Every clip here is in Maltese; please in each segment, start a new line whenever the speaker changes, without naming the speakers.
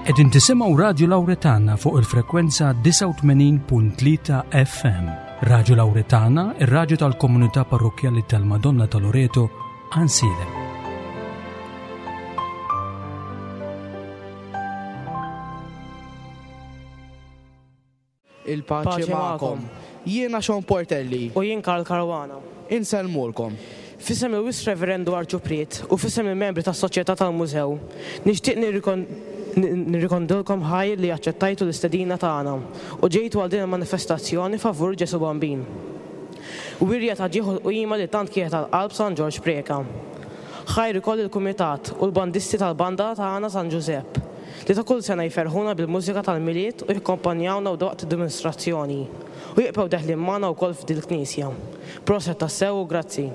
Qegħdin tisimgħu Radju Lawretana fuq il-frekwenza 89.3 FM. Radju Lawretana, ir-radju tal-komunità parrokkjali tal-Madonna ta' Loreto, Għansielem.
Il-paċi magħkom. Jiena Sean Portelli.
U jien Karl Caruana.
Insellmulkom.
F'isem il-Wisq Reverendu Arċupriet u f'isem il-membri tas-Soċjetà tal-Mużew, nixtieq nirrikondilkom ħajr li aċċettajtu l-istedina tagħna u ġejtu għal din il-manifestazzjoni favur Ġesù Bambin. Wirja ta' ġieħ u qima li tant kienet għal qalb San Ġorġ Preca. Ħajr ukoll lill-kumitat u l-bandisti tal-banda tagħna San Ġużepp, li ta' kull sena jferrħuna bil-mużika tal-Milied u jakkompanjawna waqt id-dimostrazzjoni u jibqgħu deħlin magħna wkoll f'dil-knisja. Proset tassew u grazzi.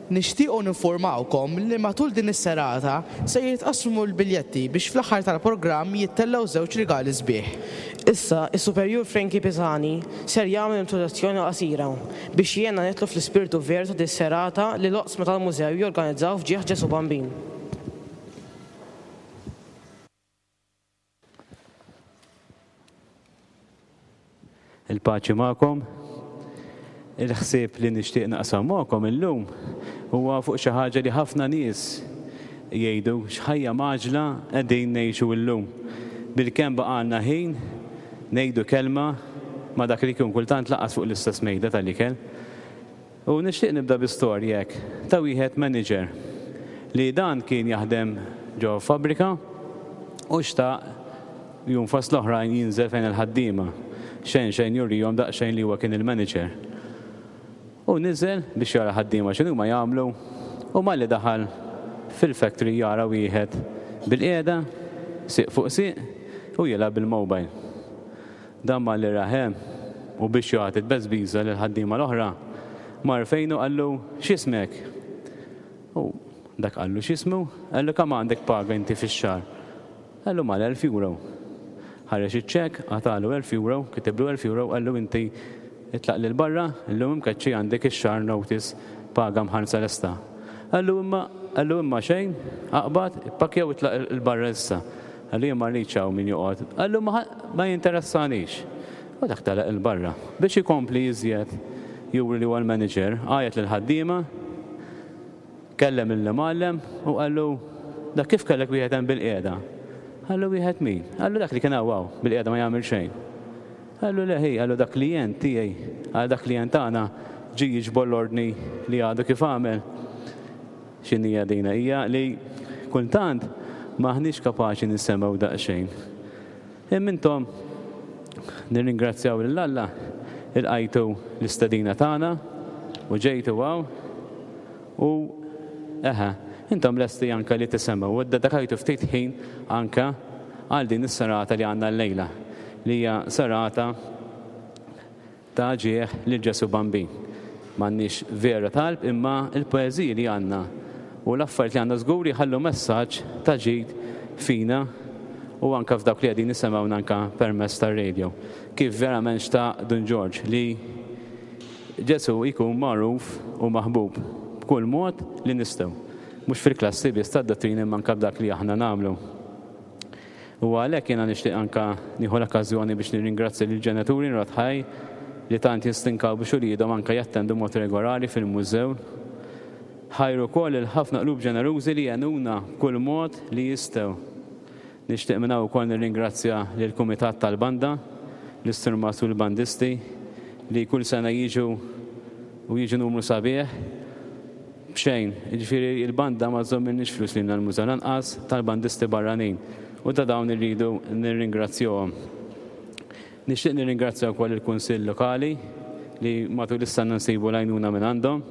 Nixtiequ ninfurmawkom li matul din is-serata se jitqassmu l-biljetti biex fl-aħħar tal-programm jittellgħu żewġ rigali sbieħ.
Issa, is-Superjur Frankie Pisani ser jagħmel introduzzjoni qasira biex jgħinna nidħlu fl-ispirtu veru ta' dis-serata li l-oqsma tal-Mużew jorganizzaw f'ġieħ Ġesù Bambin.
Il-paċi magħkom. Il-ħsieb li nixtieq naqsam magħkom illum huwa fuq xi ħaġa li ħafna nies jgħidu x'ħajja mgħaġġla qegħdin ngħixu llum. Bilkemm baqgħalna ħin ngħidu kelma ma' dak li jkun kultant lanqas fuq l-istess mejda tal-ikel. U nixtieq nibda bi storja hekk ta' wieħed manager li dan kien jaħdem ġo fabbrika u xtaq jum fost l-oħrajn jinżel fejn il-ħaddiema. Xejn xejn jurihom daqsxejn li huwa kien il-manager. U niżel biex jara l-ħaddiema x'inhuma jagħmlu u malli daħal fil-factory jara wieħed bilqiegħda, sieq fuq sieq u jilgħab bil-mobile. Dan malli rah hemm, u biex jagħti tbeżbiża lill-ħaddiema l-oħra, mar fejnu qallu, X'ismek? U dak qallu x'ismu, qallu kemm għandek paga inti fix-xahar? Qallu mal-elf euro. Ħareġ iċ-ċekk, qatagħlu elf euro, kitiblu elf euro, qallu inti itlaq 'l barra, illum imkeċċi għandek ix-xahar notice paga mħallsa lesta. Qallu imma, qallu imma xejn, aqbad, ippakkja u itlaq 'il barra issa. Qallu jien ma rridx hawn min joqgħod. Qallu ma ma jinteressanix. U dak telaq 'il barra. Biex ikompli iżjed juri li huwa l-manager, għajjat lill-ħaddiema, kellem lill-imgħallem u qallu dak kif kellek wieħed hemm bilqiegħda? Qallu wieħed min? Qallu dak li kien hawn hawn bilqiegħda ma jagħmel xejn. Qallu le ħi, qallu dak klijent tiegħi, għal dak klijent tagħna ġie jiġbor l-ordni li għadu kif għamel. X'inhija dina? Hija li kultant m'aħniex kapaċi nisemgħu daqsxejn. Imma intom nirringrazzjaw lil Alla ilqajtu l-istedina tagħna u ġejtu hawn u eħe, intom lesti anke li tisemgħu u ddedikajtu ftit ħin anke għal din is-serata li għandna llejla li hija serata Ta' ġieħ lil Ġesù Bambin. M'għandniex vera talb imma l-poeżiji li għandna u l-affarijiet li għandna żgur jħallu messaġġ ta' ġid fina u anke f'dawk li qegħdin jisemgħuna anke permezz tar-radio. Kif verament xtaq Dun Ġorġ li Ġesù jkun magħruf u maħbub b'kull mod li nistgħu. Mhux fil-klassi biss tad-dottrina imma anke b'dak li aħna nagħmlu. U għalhekk jiena nixtieq anke nieħu l-okkażjoni biex nirringrazzja lill-ġenituri nrodd ħaj li tant jistinkaw biex uliedhom anke jattendu mod regolari fil-mużew. Ħajr ukoll lil ħafna qlub ġenerużi li għenuna b'kull mod li jistgħu. Nixtieq minn hawn ukoll nirringrazzja lill-kumitat tal-banda, l-istrummas u l-bandisti li kull sena jiġu u jiġu numru sabiħ. B'xejn. Jiġifieri l-banda ma żżommilniex flus lilna l-mużew lanqas tal-bandisti barranin u ta' dawn irridu nirringrazzjohom. Nixtieq nirringrazzja wkoll il-Kunsill Lokali li matul is-sena nsibu l-għajnuna minn għandhom.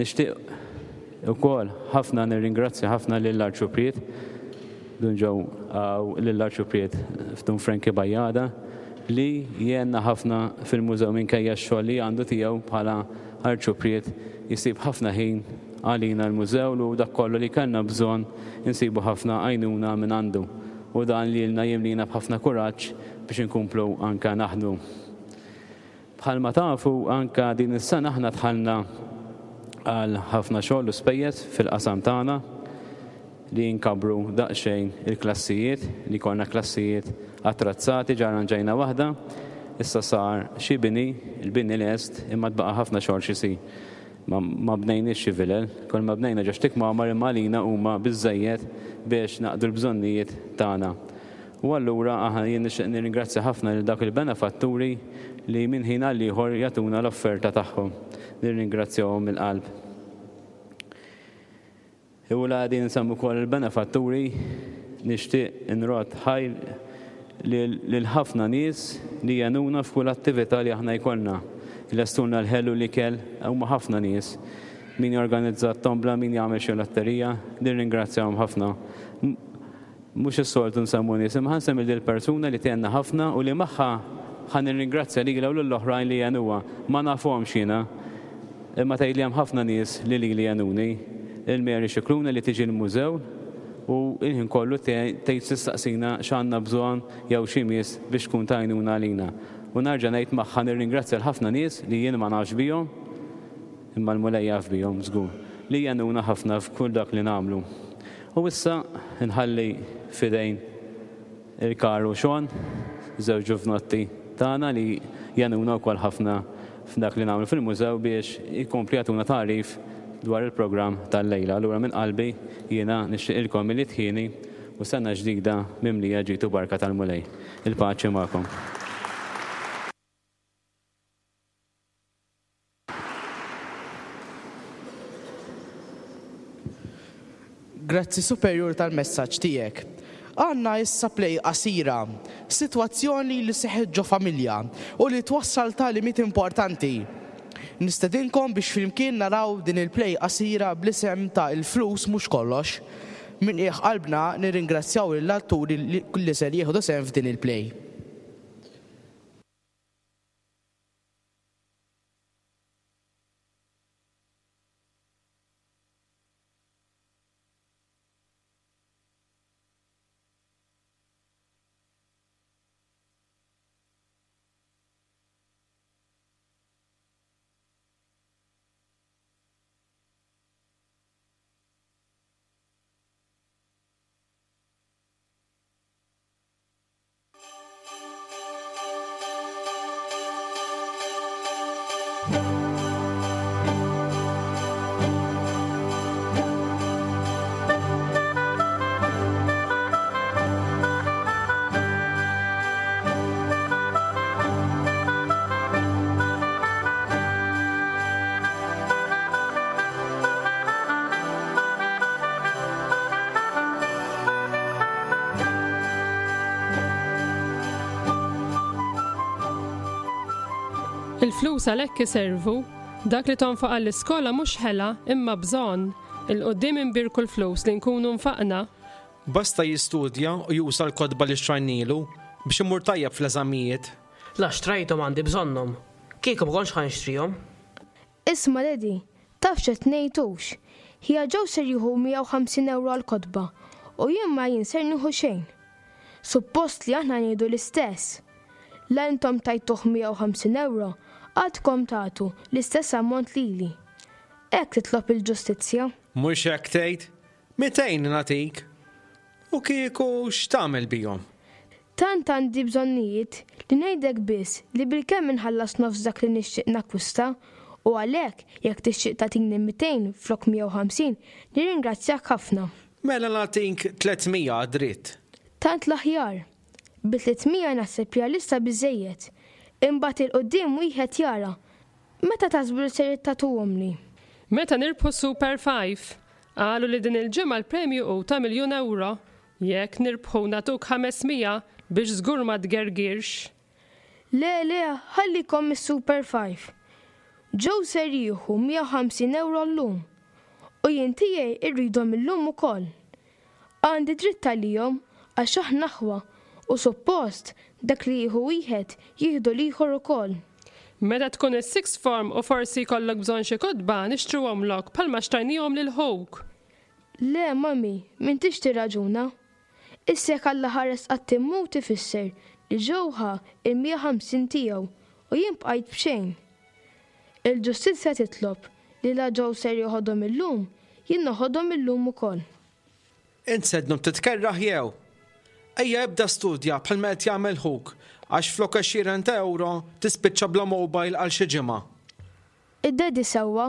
Nixtieq ukoll ħafna nirringrazzja ħafna lill-Arċupriet Dun Joe lill-Arċupriet Dun Frankie Bajada li jgħinna ħafna fil-mużew minkejja x-xogħol li għandu tiegħu bħala Arċupriet jsib ħafna ħin għalina l-mużew u dak kollu li kellna bżonn insibu ħafna għajnuna minn għandu u dan lilna jimlina b'ħafna kuraġġ biex inkomplu anke naħdmu. Bħalma tafu anke din is-sena aħna dħalna għal ħafna xogħol u spejjeż fil-qasam tagħna. li nkabbru daqsxejn il-klassijiet, li jkollna klassijiet attrazzati, ġa arranġajna waħda, issa sar xi bini, il-bini lest, imma tbaqa' ħafna xogħol x'isir. Ma, ma bnejniex xi vilel, kull ma bnejna ġo xi kmamar imma għalina huma biżżejjed biex naqdu l-bżonnijiet tagħna. U allura aħna jien nixtieq nirringrazzja ħafna lil dawk il-benefatturi li minn ħin għal ieħor jagħtuna l-offerta tagħhom. Nirringrazzjahom mill-qalb. U la qegħdin insemmu wkoll il-benefatturi, nixtieq inrodd ħajr lil ħafna nies li jgħinuna f'kull attività li aħna jkollna. Ilestulna l-ħelu, l-ikel, huma ħafna nies. Min jorganizza t-tombla, min jagħmel xi lotterija, nirringrazzjahom ħafna. Mhux is-soltu nsemmu nies, imma ħa nsemmi lil persuna li tgħinna ħafna u li magħha ħa nirringrazzja lilha u lill-oħrajn li għenuha. Ma nafhomx jiena, imma tgħidli hemm ħafna nies li lili għenuni. Lil Mary Scicluna li tiġi l-mużew u l-ħin kollu tgħid tistaqsina x'għandna bżonn jew x'imiss biex tkun ta' għajnuna għalina. U nerġa' ngħid magħha nirringrazzja l-ħafna nies li jien ma nafx bihom, Imma l-Mulej jaf bihom żgur, li jgħinuna ħafna f'kull dak li nagħmlu. U issa nħalli f'idejn il-Karl u Sean, żewġ ġuvnotti tagħna li jgħinuna wkoll ħafna f'dak li nagħmlu fil-mużew biex ikomplu jagħtuna tagħrif dwar il-programm tal-lejla. Allura minn qalbi jiena nixtieqilkom Milied ħieni u sena ġdida mimlija ġid u barka tal-Mulej. Il-paċi magħkom.
Grazzi Superjur tal-messaġġ tiegħek. Għandna issa play qasira, sitwazzjoni li seħħet ġo familja u li twassal tagħlimiet importanti. Nistedinkom biex flimkien naraw din il-play qasira bl-isem ta' Il-flus mhux kollox. Minn qiegħ qalbna nirringrazzjaw lill-atturi li ser jieħdu sehem f'din il-play.
Il-flus għalhekk iservu. Dak li tonfoq għall-iskola mhux ħela imma bżonn. Il quddiem inbierku l-flus li nkunu nfaqna.
Basta jistudja u juża l-kotba li xtrajnielu biex imur tajjeb fl-eżamijiet.
La xtrajthom għandi bżonnhom. Kieku ma kontx ħa nixtrihom.
Isma' Daddy, taf x'qed ngħid hux. Ħija Joe ser jieħu 150 ewro għall-kotba u jien ma jien ser nieħu xejn. Suppost li aħna ngħidu l-istess. La intom tajtuh 150 ewro, għadkom tagħtu l-istess ammont lili. Hekk titlob il-ġustizzja.
Mhux hekk tgħid? 200 nagħtik. U kieku x'tagħmel bihom?
Tant għandi bżonnijiet li ngħidlek biss li bilkemm inħallas nofs dak li nixtieq nakkwista u għalhekk jekk tixtieq tagħtini 200 flok 150 nirringrazzjak ħafna.
Mela nagħtik 300 għad-dritt.
Tant l-aħjar. Bi 300 naħseb li għalissa biżżejjed. Imbagħad 'il quddiem wieħed jara. Meta taħsbu li ser tagħtuhomli?
Meta nirbħu s-Super Five. Qalu li din il-ġimgħa l-premju hu ta' miljun ewro. Jekk nirbħu nagħtuk 500 biex żgur ma tgergirx.
Le, le, ħallikom mis-Super Five. Joe ser jieħu 150 ewro llum. U jien tiegħi rridhom illum ukoll. Għandi dritt għalihom għax aħna aħwa u suppost dak li jieħu wieħed jieħdu l-ieħor ukoll.
Meta tkun is-sixth form u forsi jkollok bżonn xi kotba nixtruhomlok bħalma xtrajnihom lil ħuk.
Le, mummy, m'intix tirraġuna. Issa jekk Alla ħares qatt immut ifisser li Joe ħa il-150 tiegħu u jien bqajt b'xejn. Il-ġustizzja titlob li la Joe ser joħodhom illum, jien noħodhom illum ukoll.
Int se ddum titkerrah jew? Ejja ibda studja bħalma qed jagħmel ħuk għax flok għexieren ta' ewro tispiċċa bla mobile għal xi ġimgħa.
Id-daddy sewwa.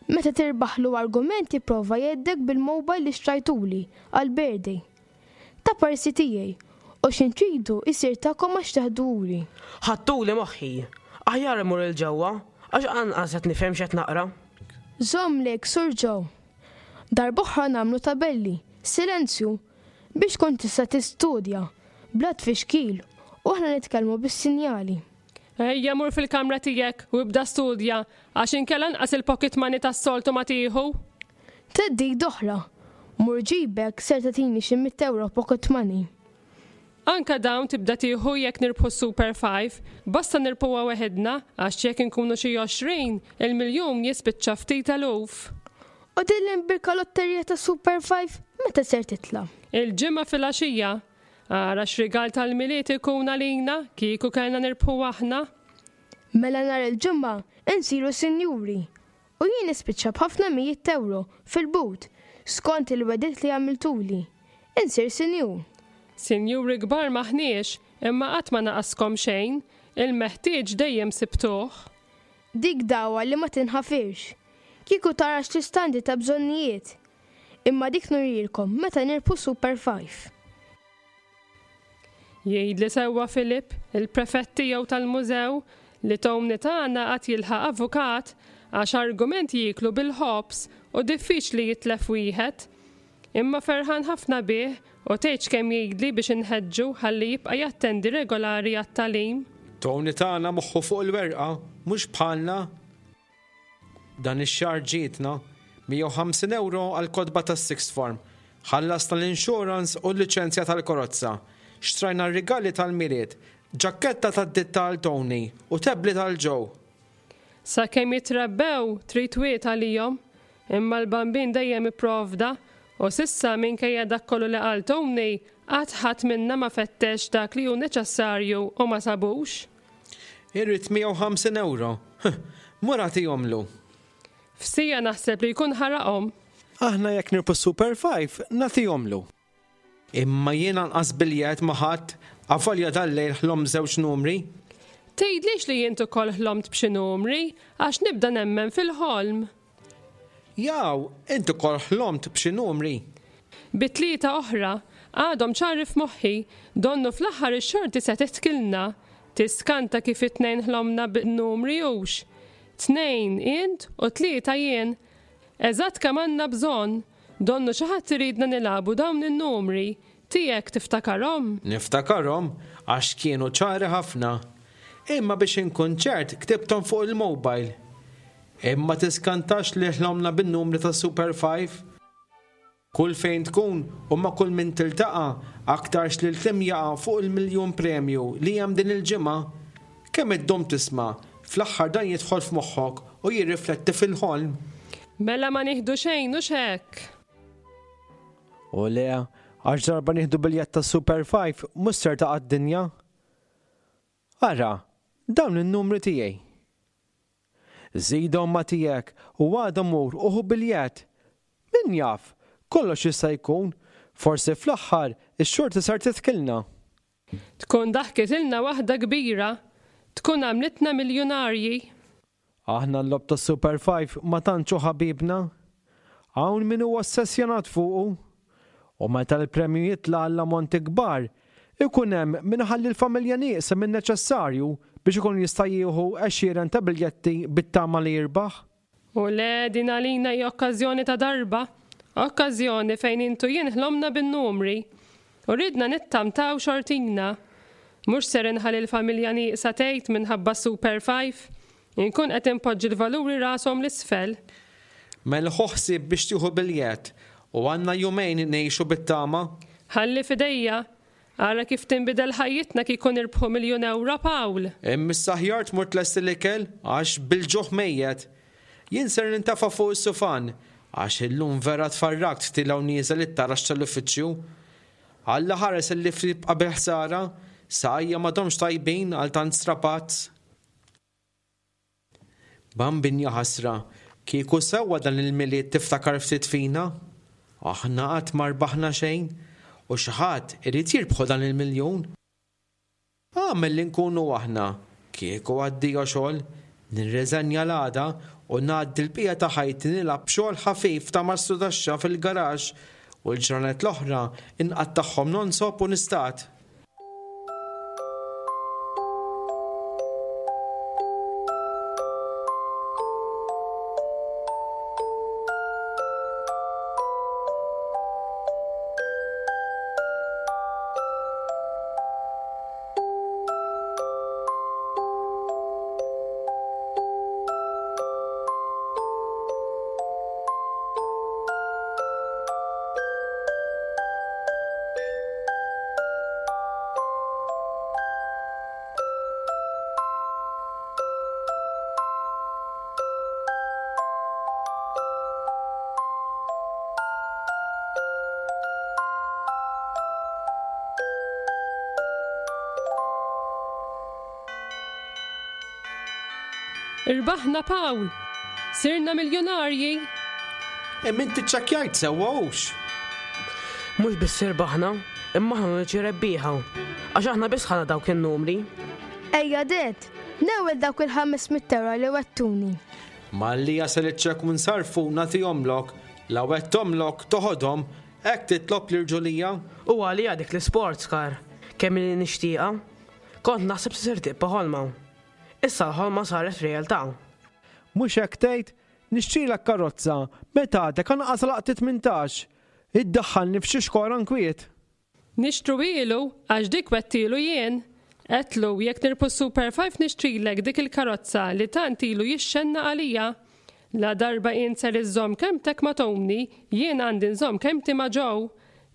Meta tirbaħlu argument jipprova jgħeddek bil-mobile li xtrajtuli għall-birthday. Ta' parsi tiegħi u x'in tridu jsir tagħkom għax teħduhuli.
Ħadtuli moħħi. Aħjar immur 'il ġewwa għax anqas qed nifhem x'qed naqra.
Żomm lejk Sur Joe. Darb'oħra nagħmlu tabelli, silenzju, biex tkun tista' tistudja, bla tfixkil u aħna nitkellmu bis-sinjali.
Ejja mur fil-kamra tiegħek u ibda studja għax inkella anqas il-pocket money tas-soltu ma tieħu.
Theddid oħra, Mur ġibek ser tagħtini xi mitt ewro pocket money.
Anke dawn tibda tieħu jekk nirbħu s-Super Five, basta nirbħuha weħidna għax jekk inkunu xi 20, il-miljun jispiċċa ftit eluf.
U din l-imbierka lotterija tas-Super Five meta ser titla'?
Il-Ġimgħa filgħaxija. Ara x'rigal tal-Milied ikun għalina kieku kellna nirbħu aħna.
Mela nhar il-Ġimgħa insiru sinjuri U jien nispiċċa b'ħafna mijiet t'ewro fil-but, skont il-wegħdiet li għamiltuli. Insir sinjur.
Sinjuri kbar m'aħniex, imma qatt ma naqaskom xejn, il-meħtieġ dejjem sibtuh.
Dik dagħwa li ma tinħafirx. Kieku tara x'lista għandi ta' bżonnijiet! Imma dik nurihielkom meta nirbħu Super Five.
Jgħidli sewwa Philip, il-prefett tiegħu tal-mużew, li Tony tagħna għad jilħaq avukat għax argument jieklu bil-ħobż u diffiċli jitlef wieħed. Imma ferħan ħafna bih u tgħidx kemm jgħidli biex inħeġġu ħalli jibqa' jattendi regolari għat-tagħlim.
Tony tagħna moħħu fuq il-werqa, mhux bħalna. Dan ix-xahar ġietna 150 ewro għall-kotba tas-sixth form. Ħallasna l-insurance u l-liċenzja tal-karozza. Xtrajna r-rigali tal-Milied, ġakketta tad-ditta għal Tony u tablet għal Joe.
Sakemm jitrabbew trid wied għalihom. Imma l-Bambin dejjem ipprovda u s'issa minkejja dak kollu li qal Tony qatt ħadd minna ma fettex dak li hu neċessarju u ma sabux.
Irrid 150 ewro. Huh, mur agħtihomlu.
F'siegħa naħseb li jkun ħaraqhom.
Aħna jekk nirbħu s-Super Five, nagħtihomlu. Imma jien anqas biljett ma ħadt, avolja dal-lejl ħlomt żewġ numri.
Tgħidlix li int ukoll ħlomt b'xi numri, għax nibda nemmen fil-ħolm.
Jaw, int ukoll ħlomt b'xi numri?
Bi tlieta oħra, għadhom ċari f'moħħi, donnu fl-aħħar ix-xorti se titkilna. Tiskanta kif it-tnejn ħlomna bin-numri hux. Tnejn int u tlieta jien. Eżatt kemm għandna bżonn. Donnu xi ħadd iridna nilagħbu dawn in-numri. Tiegħek tiftakarhom?
Niftakarhom għax kienu ċari ħafna. Imma biex inkun ċert ktibthom fuq il-mobile. Imma tiskantax li ħlomna bin-numri tas-Super Five. Kull fejn tkun u ma' kull min tiltaqa' aktarx li l-kliem jaqa' fuq il-miljun premju li hemm din il-ġimgħa. Kemm iddum tisma', fl-aħħar dan jidħol f'moħħok u jirrifletti fil-ħolm.
Mela ma nieħdu xejn hux hekk?
U le, għax darba nieħdu biljett tas-Super Five mhux ser taqa' d-dinja. Ara, dawn in-numri tiegħi. Żidhom ma' tiegħek u għada mur u ħu biljett. Min jaf, kollox jista' jkun, forsi fl-aħħar ix-xorti ser tidħkilna.
Tkun daħkitilna waħda kbira, tkun għamlitna miljunarji.
Aħna l-logħob tas-Super Five ma tantx hu ħabibna. Hawn min hu ossessjonat fuqu. U meta l-premju jitla' għall-ammonti kbar, ikun hemm min iħalli l-familja nieqsa min-neċessarju biex ikun jista' jieħu għexieren ta' biljetti bit-tama li jirbaħ.
U le, din għalina hi okkażjoni ta' darba, okkażjoni fejn int u jien ħlomna bin-numri u ridna nittamtaw xortina. Mhux ser inħalli l-familja nieqsa tgħid minħabba s-Super Five. Inkun qed inpoġġi l-valuri rashom 'l isfel.
Mela ħu ħsieb biex tieħu biljett u għandna jumejn ngħixu bit-tama.
Ħalli f'idejja. Ara kif tinbidel ħajjitna kieku nirbħu miljun ewro, Pawl!
Imma issa aħjar tmur tlesti l-ikel għax bil-ġuħ mejjet. Jien ser nintefa' fuq is-sufan għax illum vera tfarrakt tiela' u nieżel it-taraġ tal-uffiċċju. Alla ħares il-lift jibqa' bil-ħsara, saqajja m'għadhomx tajbin għal tant strapazz. Bambin jaħasra, kieku sewwa dan il-Milied tiftakar ftit fina. Aħna qatt ma rbaħna xejn u xi ħadd irid jirbħu dan il-miljun. Agħmel li nkunu aħna, kieku addio xogħol, nirreżenja l-għada u ngħaddi l-bqija ta' ħajti nilgħab b'xogħol ħafif ta' mastrudaxxa fil-garaxx u l-ġranet l-oħra nqattagħhom nonsob u nistad.
Irbaħna Pawl! Sirna miljonarji!
Imma inti ċċekkjajt sewwa hux?
Mhux biss irbaħna, imma aħna l-uniċi rebbieħa. Għax aħna biss ħadna dawk in-numri.
Ejja Dad, newwel dawk il-500 ewro li wegħdtuni.
Malli jasal iċ-ċekk u nsarrfu nagħtihomlok. La wegħdthomlok, toħodhom, hekk titlob l-irġulija?
U għalija dik l-isports car, kemm ili nixtieqha. Kont naħseb se ser tibqa' ħolma. Issa l-ħolma saret realtà.
Mhux hekk tgħid? Nixtrilek karozza meta għadek anqas għalaqt it-tmintax. Iddaħħalni f'xi xkora nkwiet.
Nixtruhielu għax dik wegħdtielu jien. Għedtlu jekk nirbħu s-Super Five nixtrilek dik il-karozza li tant ilu jixxennaq għalija. La darba int ser iżżomm kelmtek ma' Tony, jien għandi nżomm kelmti ma' Joe.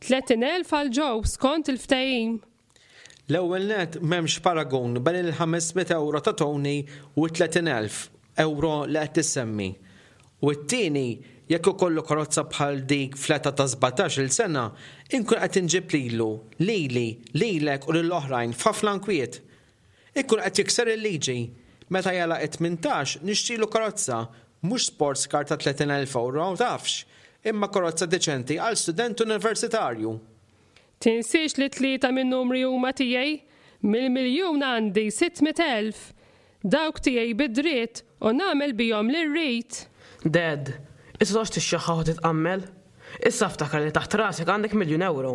30,000 għal Joe skont il-ftehim.
L-ewwel nett m'hemmx paragun bejn il-500 ewro ta' Tony u t-30,000 ewro li qed tissemmi. U t-tieni, jekk ikollu karozza bħal dik fl-età ta' sbatax-il sena, inkun qed inġib lilu, lili, lilek u lill-oħrajn f'ħafna nkwiet. Ikun qed jikser il-liġi. Meta jagħlaq it-tmintax nixtrilu karozza, mhux sports car ta' 30,000 ewro, tafx, imma karozza deċenti għal student universitarju.
Tinsiex li tlieta min-numri huma tiegħi. Mill-miljun għandi 600,000. Dawk tiegħi bi dritt u nagħmel bihom li rrid.
Dad, issa toqgħodx tixxaħħaħ u titqammel. Issa ftakar li taħt rasek għandek miljun ewro.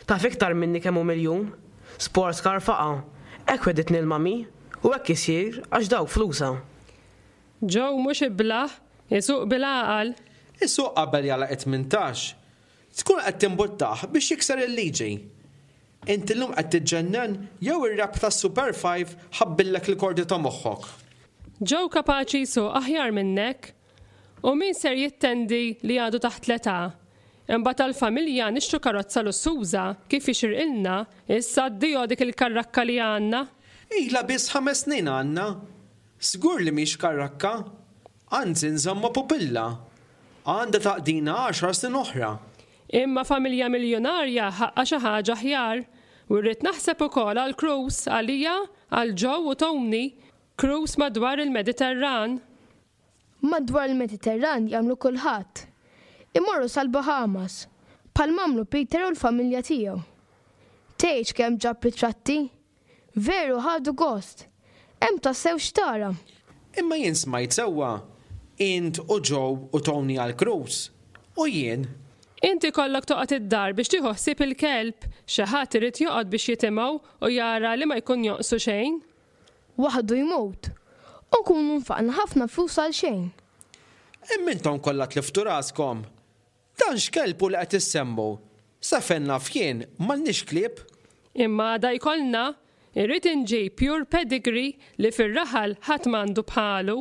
Taf iktar minni kemm hu miljun? Sports car faqa'. Hekk wegħditni l-mummy. U hekk isir għax dawk flusha.
Joe mhux iblah, isuq bil-għaqal.
Isuq qabel jagħlaq it-tmintax. Tkun qed timbuttah biex jikser il-liġi. Int illum qed tiġġennen jew ir-rebħ tas-Super Five ħabbillek il-kordi ta' moħħok?
Joe kapaċi jsuq aħjar minnek. U min ser jittendi li għadu taħt l-età? Imbagħad għall-familja nixtru karozza lussuża kif jixirqilna, issa addio dik il-karrakka li għandna.
Ilha biss ħames snin għandna. Żgur li mhix karrakka. Anzi nżommha pupilla. Għandha taqdina għaxar snin oħra.
Imma familja miljunarja ħaqqha xi ħaġa aħjar. U rrid naħseb ukoll għal cruise għalija, għal Joe u Tony. Cruise madwar il-Mediterran.
Madwar il-Mediterran jagħmlu kulħadd. Imorru sal-Bahamas, bħal m'għamlu Peter u l-familja tiegħu. Tgħidx kemm ġab ritratti! Veru ħadu gost! Hemm tassew x'tara!
Imma jien smajt sewwa, int u Joe u Tony għall-cruise, u jien?
Int ikollok toqgħod id-dar biex tieħu ħsieb il-kelb, xi ħadd irid joqgħod biex jitimgħu u jara li ma jkun jonqsu xejn.
Waħdu jmut. U nkunu nfaqna ħafna flus għal xejn.
Imma intom kollha tliftu raskom! Dan x'kelb hu li qed issemmu? Sa fejn naf jien, m'għandniex klieb.
Imma għada jkollna. Irrid inġib pure pedigree li fir-raħal ħadd m'għandu bħalu.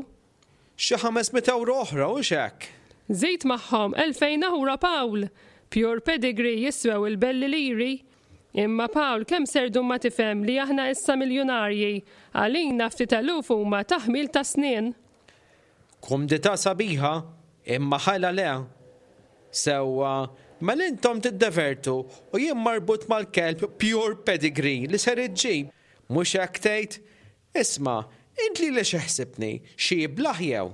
Xi 500 ewro oħra, hux hekk?
Żid magħhom 2000 ewro Pawl! Pure pedigree jiswew il-belli liri. Imma Pawl kemm ser dum ma tifhem li aħna issa miljunarji? Għalina ftit eluf huma taħmil ta' snien.
Kumdità sabiħa, imma ħela le. Sewwa, mela intom tiddevertu u jien marbut mal-kelb pure pedigree li ser iġġib, mhux hekk tgħid? Isma', int lili xi ħsibtni, xi iblah jew?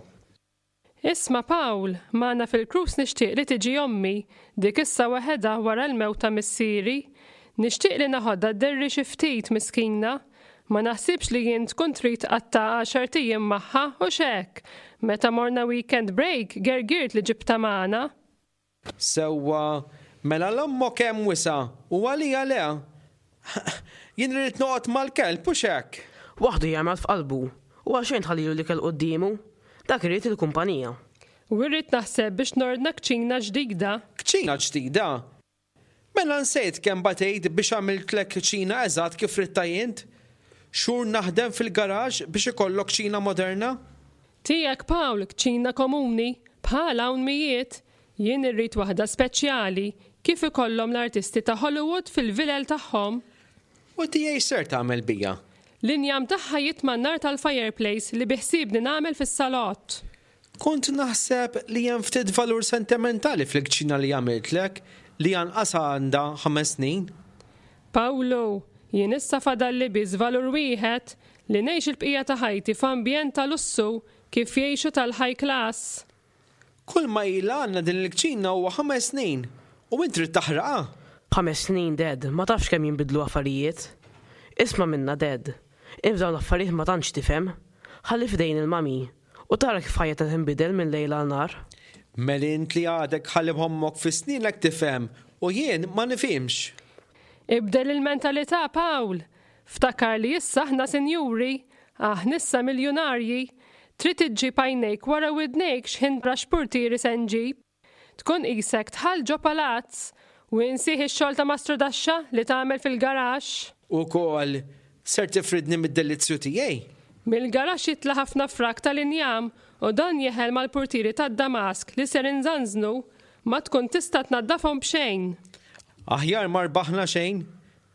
Isma' Pawl, magħna fil-cruise nixtieq li tiġi ommi, dik issa waħedha wara l-mewt ta' missieri. Nixtieq li naħodha dderri xi ftit, miskina. Ma naħsibx li int tkun trid tqatta' għaxart ijiem magħha, hux hekk? Meta morna weekend break, gergirt li ġibtha magħna.
Sewwa, mela 'l ommok hemm wisa' u għalija le? Jien irrid noqgħod mal-kelb, hux hekk?
Waħdu jagħmel f'qalbu, u għalxejn tħallilu l-ikel quddiemu, dak irid il-kumpanija.
U irrid naħseb biex nordna kċina ġdida.
Kċina ġdida? Mela nsejt kemm batejt biex għamiltlek kċina eżatt kif ridtha int? Xhur naħdem fil-garaxx biex ikollok kċina moderna?
Tiegħek Pawl, kċina komuni, bħal hawn mijiet. Jien irrid waħda speċjali, kif ikollhom l-artisti ta' Hollywood fil-vilel tagħhom.
U tiegħi x'ser tagħmel bija?
L-injam tagħha jitma' n-nar tal-fireplace li biħsiebni nagħmel fis-salott.
Kont naħseb li hemm ftit valur sentimentali fil-kċina li għamiltlek li anqas għandha ħames snin.
Pawlu, jien issa fadalli biss valur wieħed, li ngħix il-bqija ta' ħajti f'ambjent ta' lussu kif jgħixu tal-high class.
Kull ma ilha għandna din il-kċina huwa ħames snin u int trid taħraqha?
B'ħames snin, Dad, ma tafx kemm jinbidlu affarijiet. Isma' minna, Dad. Int f'dawn l-affarijiet ma tantx tifhem. Ħalli f'idejn il-mummy. U tara kif ħajjitna tinbidel minn lejl għal nhar.
Mela int li għadek ħalib ommok fi snienek tifhem u jien ma nifhimx.
Ibdel il-mentalità, Paul! Ftakar li issa aħna sinjuri, aħna issa miljunarji. Trid iġġib għajnejk wara widnejk x'ħin tara x'purtieri se nġib. Tkun qisek dħalt ġo palazz u insih ix-xogħol ta' mastrudaxxa li tagħmel fil-garaxx.
Ukoll, ser tifridni mid-delizzju tiegħi?
Mill-garaxx jitla' ħafna frak tal-injam u dan jeħel mal-purtieri tad-damask li ser inżanżnu. Ma tkun tista' tnaddafhom b'xejn.
Aħjar ma rbaħna xejn.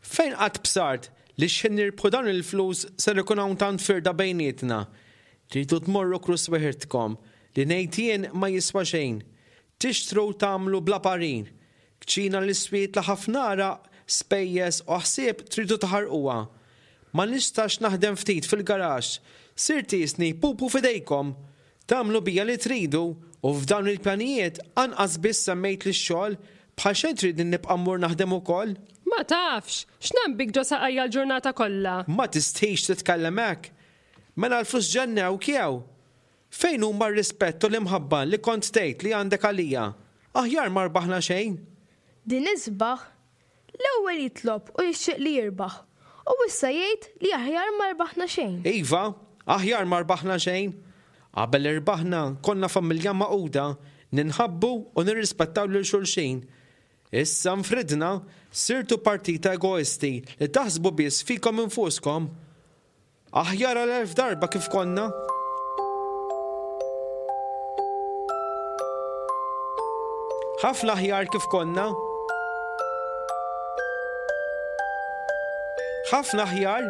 Fejn qatt bsart li x'ħin nirbħu dawn il-flus ser ikun hawn tant firda bejnietna? Tridu tmorru krus weħidkom, li ngħid jien ma jiswa xejn. Tixtru u tagħmlu bla parir. Kċina li swietla ħafna għaraq, spejjeż u ħsieb tridu taħarquha. Ma nistax naħdem ftit fil-garaxx, sirt qisni pupu f'idejkom. Tagħmlu bija li tridu u f'dawn il-pjanijiet anqas biss semmejtli x-xogħol, bħal xejn tridni nibqa' mmur naħdem ukoll?
Ma tafx! X'nambik ġo saqajja l-ġurnata kollha?
Ma tistħix titkellem hekk? Mela l-flus ġennewk jew? Fejn huma r-rispett u l-imħabba li kont tgħid li għandek għalija? Aħjar ma rbaħna xejn!
Din isbaħ L-ewwel jitlob u jixtieq li jirbaħ, u issa jgħid li aħjar ma rbaħna xejn.
Iva, aħjar ma rbaħna xejn. Qabel irbaħna konna familja magħquda, ninħabbu u nirrispettaw lil xulxin. Issa nfridna, sirtu partita egoisti li taħsbu biss fikom infuskom. Aħjar għal 1000 darba kif konna. Ħafna aħjar kif konna. Ħafna aħjar.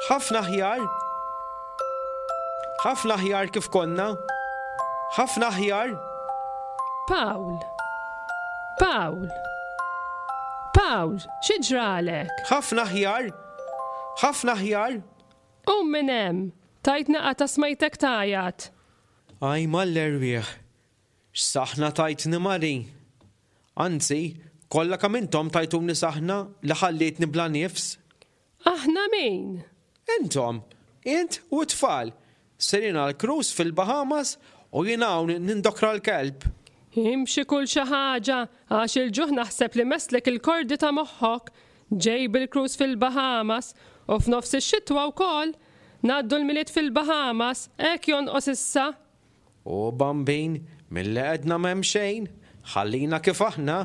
Ħafna aħjar. Ħafna aħjar kif konna. Ħafna aħjar.
Pawl. Pawl. Pawl, xi ġralek?
Ħafna aħjar. Ħafna aħjar.
Qum minn hemm! Tajtni qatgħa smajtek tgħajjat.
Aj mal-erwieħ! X'saħna tajtni Mari! Anzi, kollha kemm intom tajtuni saħna li ħallietni bla nifs.
Aħna min?
Intom! Int u t-tfal! Sejrin għal cruise fil-Bahamas u jien hawn nindokra l-kelb.
Imxi kul xi ħaġa għax il-ġuħ naħseb li messlek il-kordi ta' moħħok. Ġej bil-cruise fil-Bahamas u f'nofs ix-xitwa wkoll! Ngħaddu l-Milied fil-Bahamas, hekk jonqos issa!
O Bambin, milli għedna m'hemm xejn, ħallina kif aħna.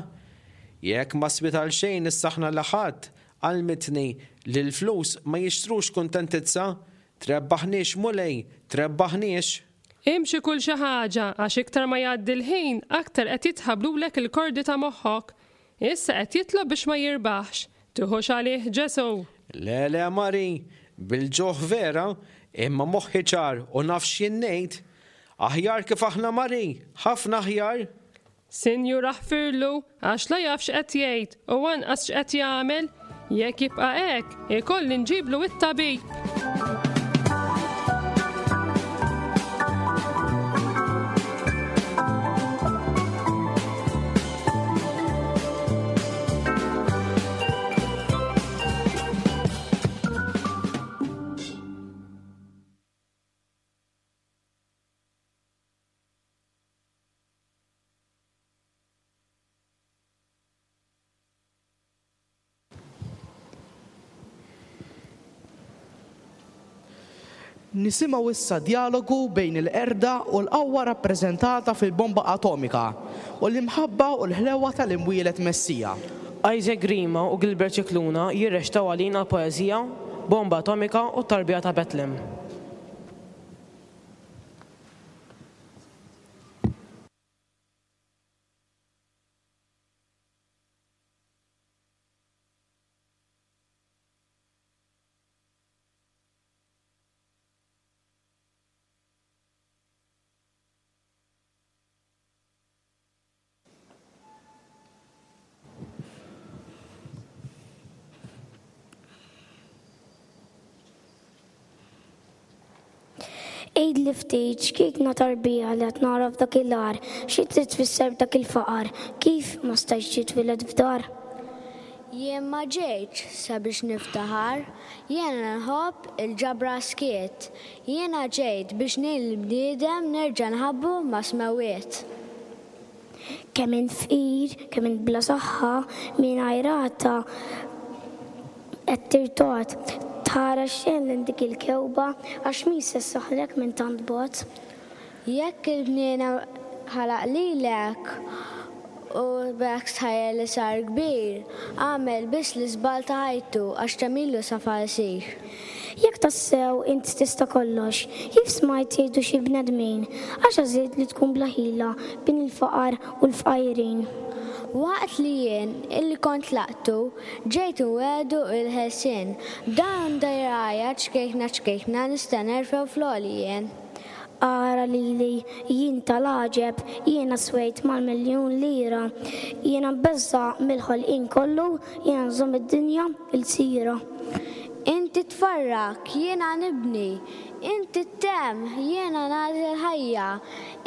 Jekk ma swiet għal xejn is-saħna li ħadt, għallmitni li l-flus ma jixtrux kuntentizza. Trebbaħniex Mulej, trebbaħniex!
Imxi kul xi ħaġa għax iktar ma jgħaddi l-ħin aktar qed jitħabblulek il-kordi ta' moħħok. Issa qed jitlob biex ma jirbaħx. Tiħux għalih Ġesù!
Le le Mari, bil-ġuħ vera, imma moħħi ċar u naf x'jien ngħid. Aħjar kif aħna Mari, ħafna aħjar!
Sinjur aħfirlu għax la jaf x'qed jgħid u anqas x'qed jagħmel. Jekk jibqa' hekk, ikolli nġiblu it-tabib.
Nisimgħu issa djalogu bejn il-qerda u l-qawwa rappreżentata fil-bomba atomika u l-imħabba u l-ħlewwa tal-imwieled Messija.
Isaac Grima u Gilbert Scicluna jirreċtaw għalina l-poeżija Bomba Atomika u t-Tarbija ta' Betlem.
Għidli ftit x'kiekna tarbija li qed nara f'dak il-għar, xi trid tfisser b'dak il-faqar, kif ma stajtx titwieled f'dar?
Jien ma ġejtx sabiex niftaħar, jiena nħobb il-ġabra skiet. Jiena ġejt biex ngħin lill-bniedem nerġa' nħabbu mas-smewwiet.
Kemm int fqir, kemm int bla saħħa, mingħajr għata qed tirtogħod. Tħares xejn lejn dik il-kewba għax min se ssaħħrek minn tant bogħod?
Jekk il-bniedem ħalaq lilek u b'hekk stħajjel li sar kbir, għamel biss l-iżball ta' ħajtu għax kemm ilu safa jsir.
Jekk tassew int tista' kollox, kif smajt jgħidu xi bnedmin, għax għażilt li tkun bla ħila bejn il-faqar u l-fqajrin?
Waqt li jien, illi kont tlaqtu, ġejt inwiegħdu l-ħelsien, b'dan dirgħajja ċkejkna ċkejkna nista' nerfgħu fl-għoli jien.
Ara lili, jien tal-għaġeb, jiena swejt mal-miljun lira. Jiena mbeżża' mill-ħolqien kollu, jiena nżomm id-dinja lsira.
Inti tfarrak, jiena nibni, inti ttemm, jiena nagħti l-ħajja.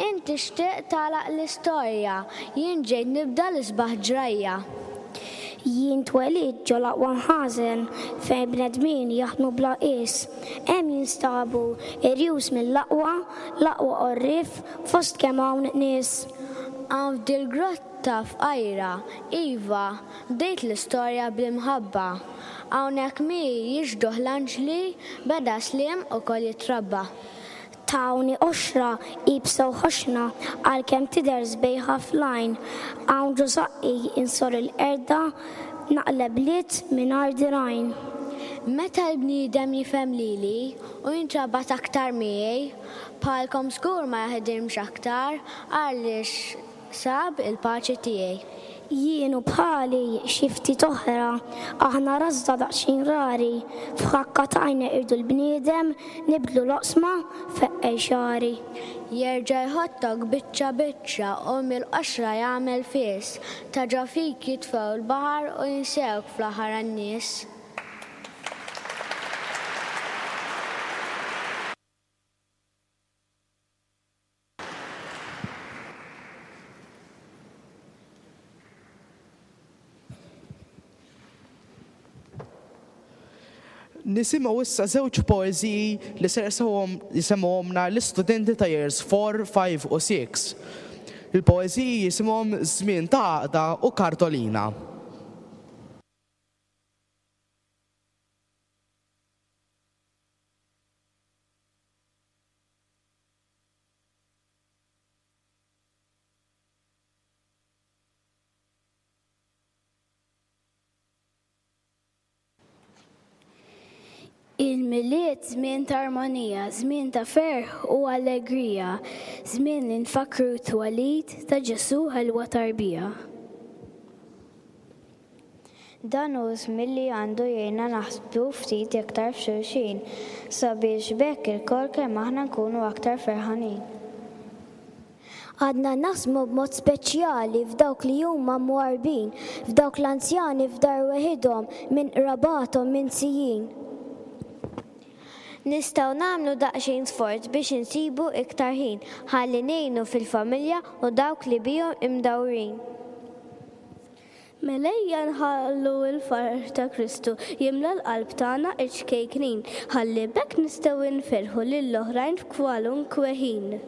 Inti xtieq tagħlaq l-istorja, jien ġejt nibda l-isbaħ ġrajja.
Jien twelidt ġo l-aqwa mħażen, fejn bnedmin jaħdmu bla qies. Hemm jinstabu irjus mill-aqwa, l-aqwa għorrief fost kemm hawn nies.
Hawn f'dil-grotta fqajra, iva, bdejt l-istorja bl-imħabba. Hawnhekk miegħi jixhduh l-anġli, beda sliem ukoll jitrabba.
Tawni qoxra, iebsa u ħoxna, għalkemm tidher sbejħa fl-għajn. Hawn ġo żaqqi insorr il-qerda, naqleb bliet mingħajr dirgħajn.
Meta l-bniedem jifhem lili u jintrabat aktar miegħi, bħalkom żgur ma jaħdimx aktar għaliex Sab il-paċi tiegħi.
Jien u bħali xi ftit oħra, aħna rażża daqsxejn rari, f'ħakka t'għajn neqirdu l-bniedem, nibdlu l-oqsma, feqqel xagħri.
Jerġa' jħottok biċċa biċċa u mill-qoxra jagħmel fies, ta' ġo fik jitfgħu l-baħar u jinsewk fl-aħħar għan-nies.
Nisimgħu issa żewġ poeżiji li ser jisemgħuhomna l-istudenti ta' Years 4, 5 u 6. Il-poeżiji jisimhom Żmien ta' Għaqda u Kartolina.
Il-Milied żmien ta' armonija, żmien ta' ferħ u allegrija, żmien li nfakkru t-twelid ta' Ġesù ħelwa tarbija.
Dan hu żmien li għandu jgħinna naħsbu ftit iktar f'xulxin, sabiex b'hekk ilkoll kemm aħna nkunu aktar ferħanin.
Għandna naħsmu b'mod speċjali f'dawk li huma mwarrbin, f'dawk l-anzjani f'dar weħidhom minn qrabathom minsijin.
Nistgħu nagħmlu daqsxejn sforz biex insibu iktar ħin ħalli ngħinu fil-familja u dawk li bihom imdawrin.
Mela ejja nħallu l-ferħ ta' Kristu jimla l-qalb tagħna ċ-ċkejknin, ħalli b'hekk nistgħu nferrħu lill-oħrajn f'kwalunkwe ħin.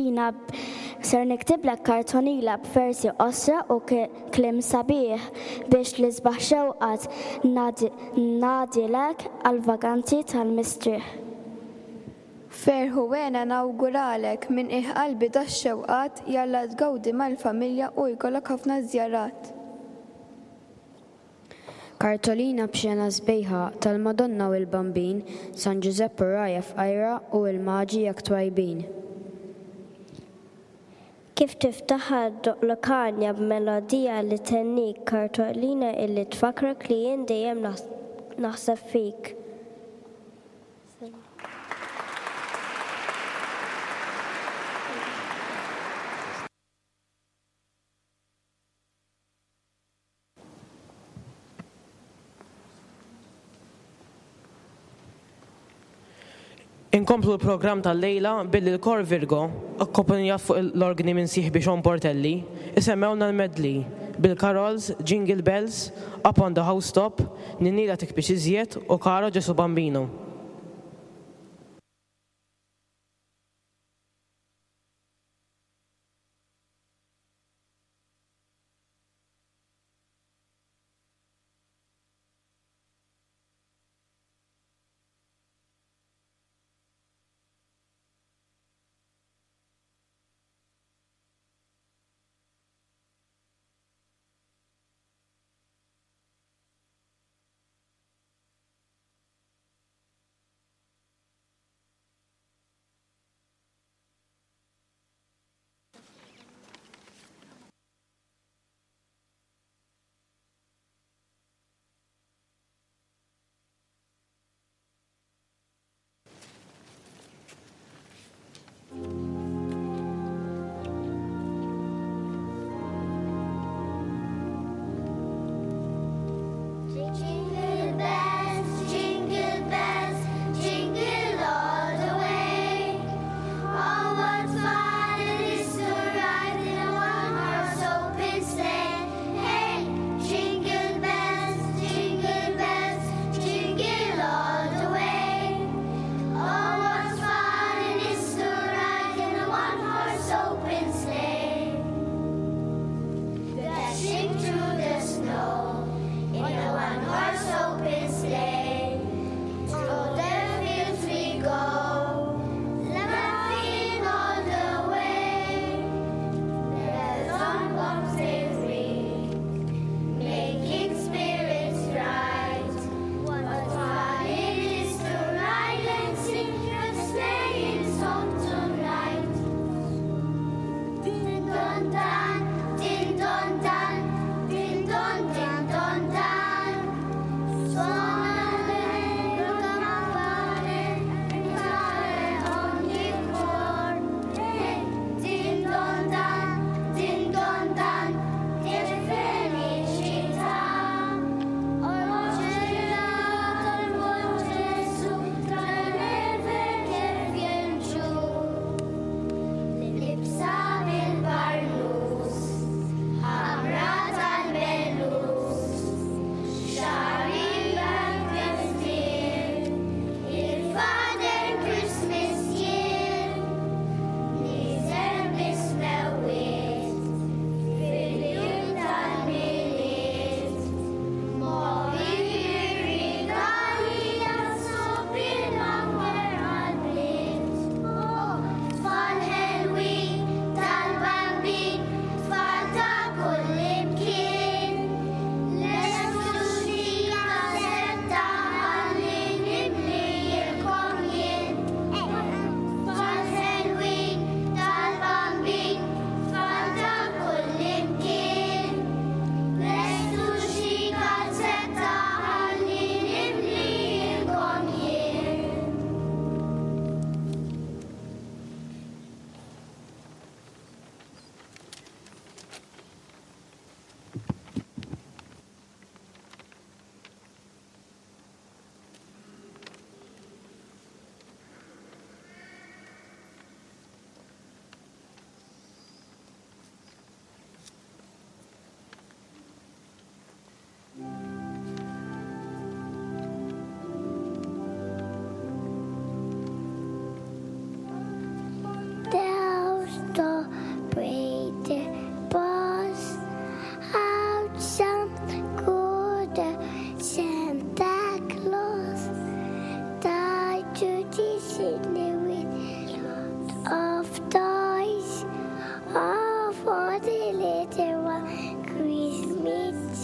Kartolina ser niktiblek kartonila b'versi qosra u kliem sabiħ biex l-isbaħ xewqat ngħadilek għall-vaganzi tal-mistrieħ.
Ferħ u hena nawguralek minn qiegħ qalbi dax-xewqat jalla tgawdi mal-familja u jkollok ħafna żjarat.
Kartolina b'xena sbejħa tal-Madonna u l-Bambin, San Ġużepp u r-rgħajja fqajra u l-Maġi jekk twajbin.
Kif tiftaħha ddoqqlok għanja b'melodija li thennik, kartolina illi tfakkrek li jien dejjem naħseb fik.
Inkomplu l-programm tal-lejla billi l-Kor Virgo, akkompanjat fuq l-orgni minn sieħbi Sean Portelli, isemmewlna l-medley bil-carols Jingle Bells, Up on the Housetop, Ninnila Tikbix Iżjed u Caro Gesù Bambino.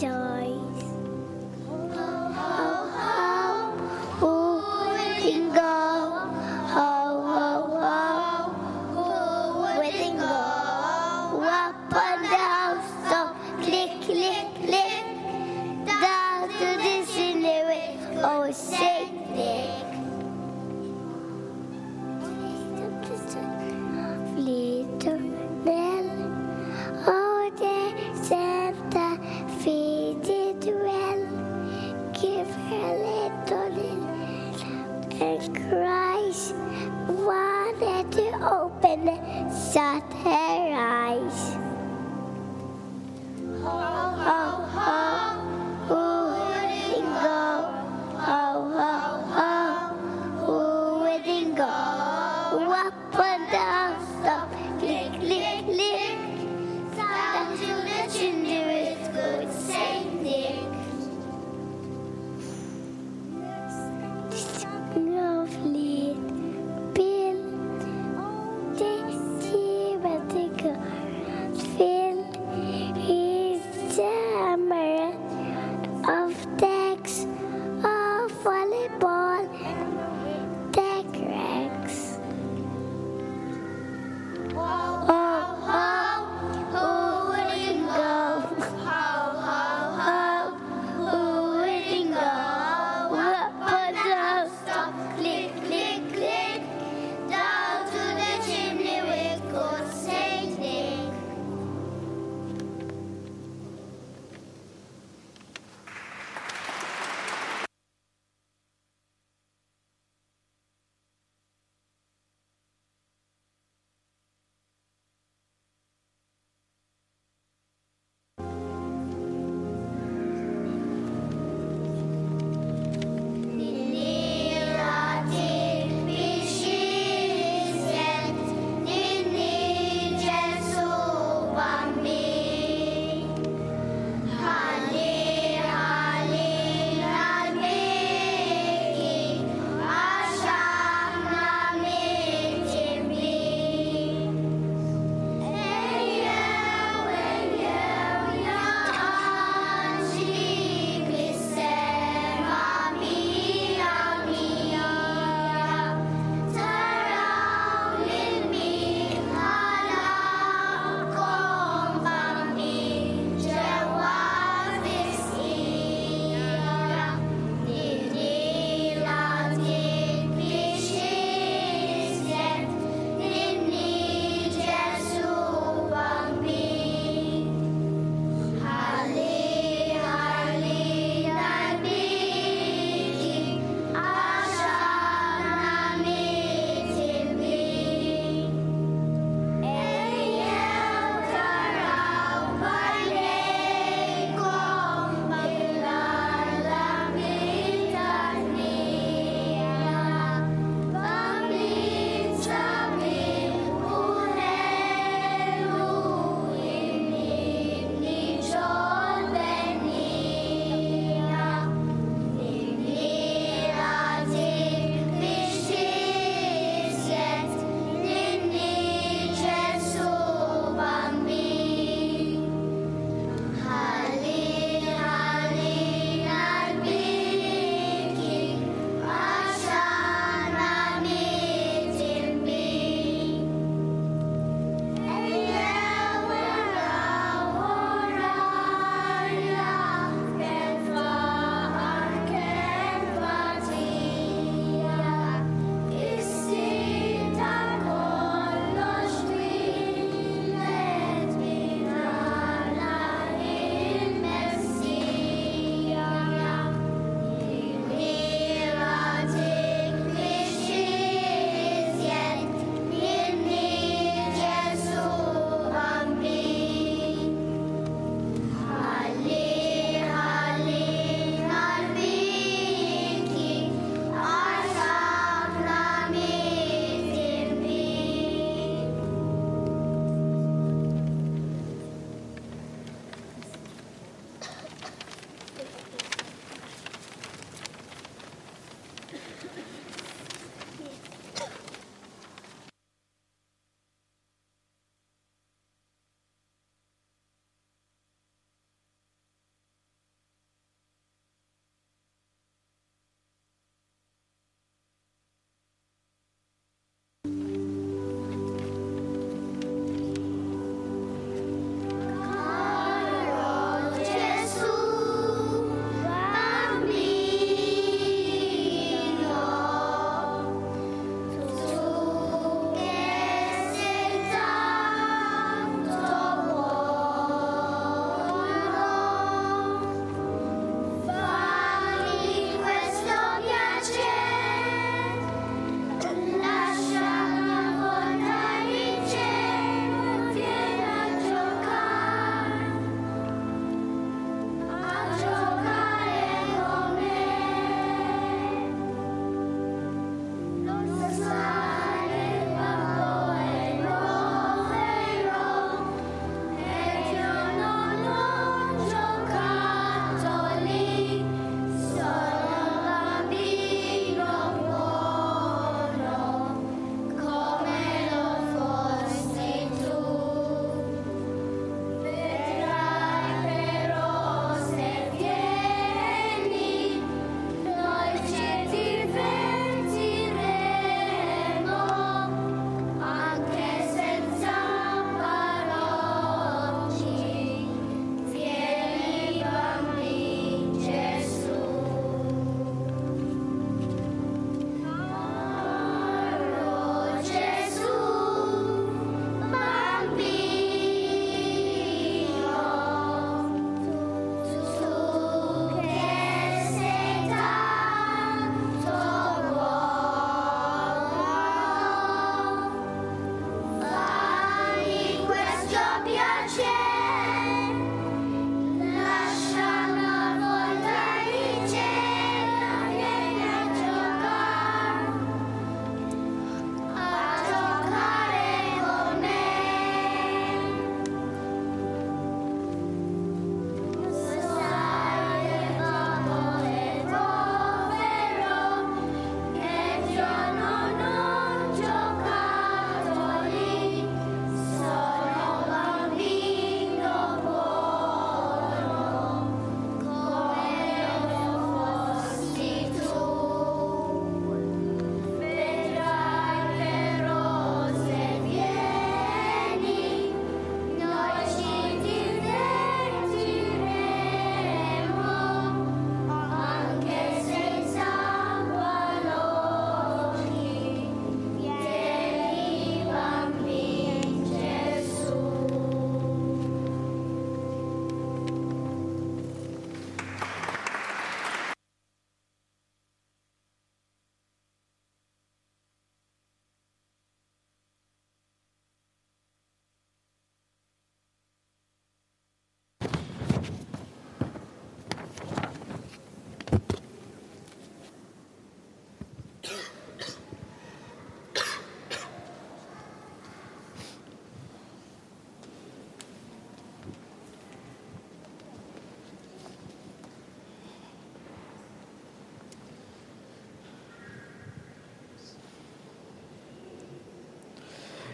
size. Ho, ho, ho, who wouldn't go? Ho, ho, ho, who wouldn't go? Up on the housetop, click, click, click, down to the ceiling with old Saint Nick. Little Nell, oh, the Santa feed it well. Give her little little and cries. Wanted to open, shut her eyes. Ho, ho, ho, who wouldn't go? Ho, ho.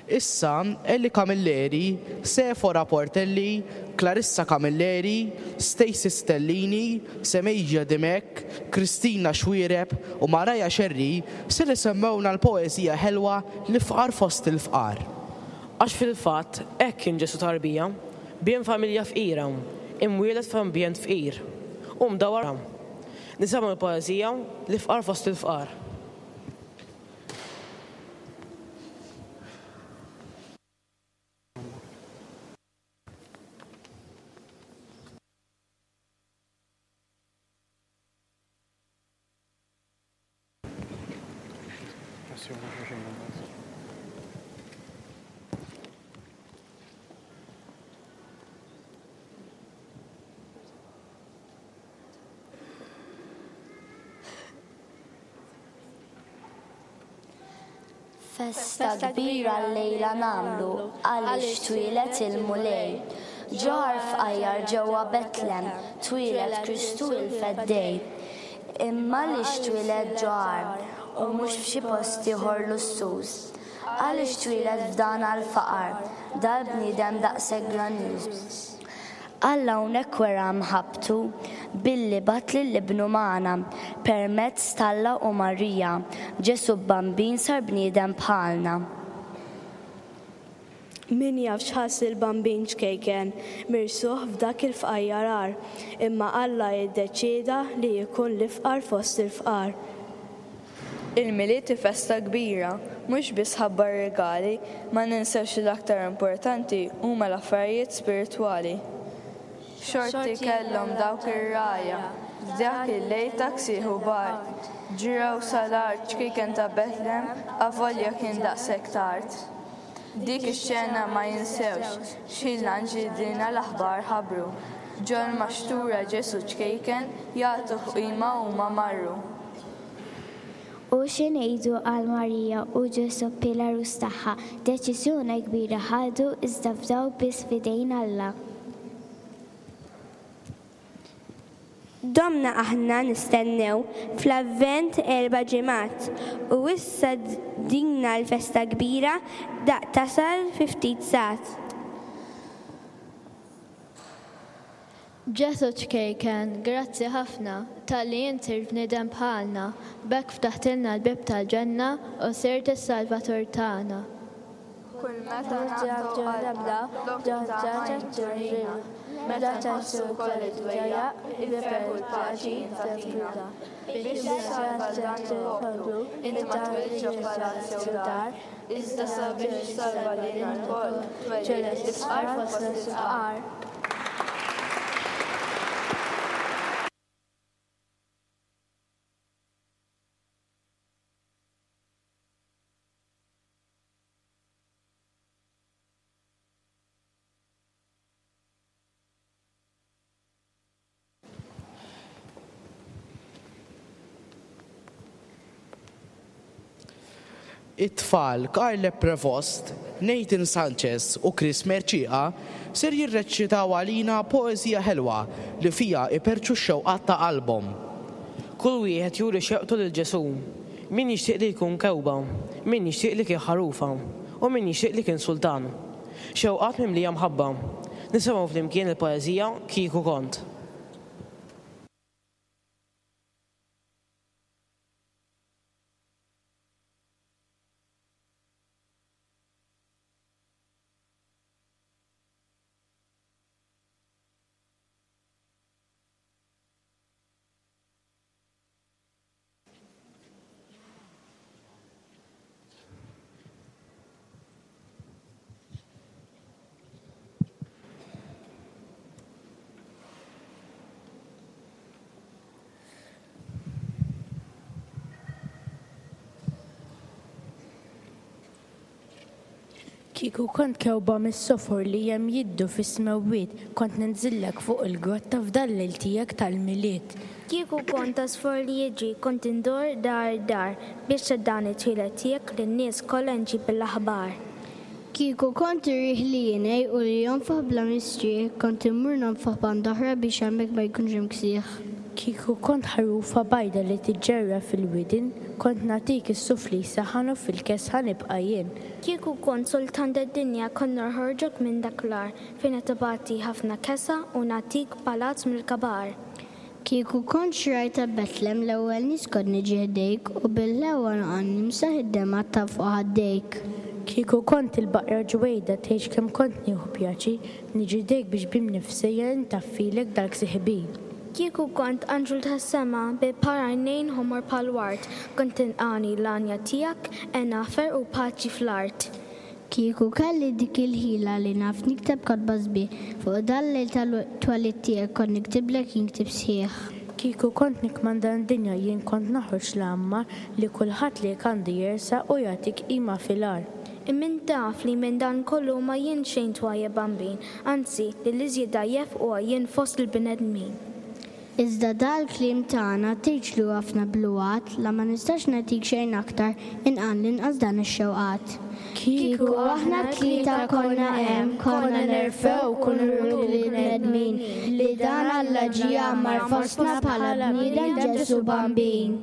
Issa, Ellie Camilleri, Sephora Portelli, Clarissa Camilleri, Stacey Stellini, Semejja Dimech, Christina Xuereb u Mariah Scerri ser isemmewna l-poeżija ħelwa L-Ifqar Fost il-Fqar.
Għax fil-fatt hekk kien Ġesù tarbija, bien familja fqira, imwieled f'ambjent fqir, u mdawwar Nisimgħu l-poeżija L-Ifqar Fost il-Fqar.
Festa kbira llejla nagħmlu għaliex twieled il-Mulej. Ġo għar fqajjar ġewwa Betlem twieled Kristu il-Feddej. Imma għaliex twieled ġo għar u mhux f'xi post ieħor lussuż? Għaliex twieled f'dan għall-faqar dal-bniedem daqshekk grandjuż? Alla hawnhekk wera mħabbtu billi bagħat lil Ibnu magħna, permezz t'Alla u Marija, Ġesù Bambin sar bniedem bħalna.
Min jaf x'ħass il-Bambin ċkejken mirsuħ f'dak il-fqajjar għar, imma Alla iddeċieda li jkun l-ifqar fost il-fqar.
Il-Milied hi festa kbira, mhux biss ħabba r-rigali, ma ninsewx li l-aktar importanti huma l-affarijiet spiritwali. X'xorti kellhom dawk ir-rgħajja f'dak il-lejl ta' ksieħ u bard! Ġrew sal-għar ċkejken ta' Betlem avolja kien daqshekk tard. Dik ix-xena ma jinsewx, x'ħin l-anġli dina l-aħbar ħabbru. Ġol-maxtura Ġesù ċkejken jagħtuh qima huma marru.
U xi ngħidu għal Marija u Ġusuppi l-għarus tagħha? Deċiżjoni kbira ħadu iżda fdaw biss f'idejn Alla.
Domna aħna nistennew fl-Avvent erba' ġimgħat u issa dina l-festa kbira daqt tasal fi ftit sigħat.
Ġesù ċkejken, grazzi ħafna, talli int sirt bniedem bħalna, b'hekk ftaħtilna l-bieb tal-ġenna u sirt is-Salvatur tagħna.
Kull meta naqtgħu qalbna, flok it-tama int turina. Meta nħossu wkoll id-dwejjaq, il-ferħ u l-paċi int tagħtina. Biex issalva dan il-poplu, int ma twilidtx ġo palazz jew dar, Iżda sabiex issalva lilna lkoll, twellidt l-ifqar fost il-fqar.
It-tfal Carle Prevost, Nathan Sanchez u Chris Mercieca ser jirreċitaw għalina poeżija ħelwa li fiha iperrċu x-xewqat ta' qalbhom.
Kull wieħed juri xewqtu lil Ġesù. Min jixtieq li jkun kewba, min jixtieq li kien ħarufa, u min jixtieq li kien sultan. Xewqat mimlija mħabba. Nisimgħu flimkien il-poeżija Kieku kont.
Kieku kont kewba mis-sofor li hemm jiddu fis-smewwiet, kont ninżillek fuq il-grotta f'dal-lejl tiegħek tal-Milied.
Kieku kont għasfur li jiġri, kont indur dar dar, biex ta' dan it-twieled tiegħek lin-nies kollha nġib l-aħbar.
Kieku kont ir-riħ li jingħi u li jonfoħ bla mistrieħ, kont immur nonfoħ band'oħra biex hemmhekk ma jkunx hemm ksieħ.
Kieku kont ħarufa bajda li tiġġerra fil-widien, kont nagħtik is-suf li jsaħħan u fil-kesħa nibqa' jien.
Kieku kont sultan tad-dinja kont noħorġok minn dak l-għar fejn qed tbati ħafna kesha u nagħtik palazz mill-kabar.
Kieku kont xraj ta' Betlem l-ewwel nies kont niġi ħdejk u bil-ħlewwa noqgħod nimsaħ id-demgħat ta' fuq ħaddejk.
Kieku kont il-baqra ġwejda tgħidx kemm kont nieħu pjaċir niġi ħdejk biex b'imnifsejja intaffilek dal-ksieħ kbir.
Kieku kont anġlu tas-sema bi par għajnejn ħomor bħall-ward kont tinqagħni l-għanja tiegħek hena ferħ u paċi fl-art.
Kieku kelli dik il-ħila li naf nikteb kotba sbieħ, fuq dal-lejl tal-twelid tiegħek kont niktiblek jien ktieb sħiħ.
Kieku kont nikkmanda d-dinja jien kont noħroġ l-għammar li kulħadd lejk għandu jersaq u jagħtik qima fil-għar.
Imma int taf li minn dan kollu ma jien xejn twajjeb bambin, anzi li l-iżjed dgħajjef huwa jien fost il-bnedmin.
Iżda dal-kliem tagħna tgħidx li hu ħafna bluhat, la ma nistax nagħtik xejn aktar, inqan l-inqas dan ix-xewqat. Kieku aħna t-tlieta konna hemm, konna nerfgħu u nuru lill-bnedmin li dan Alla ġie jgħammar fostna bħala bniedem Ġesù Bambin.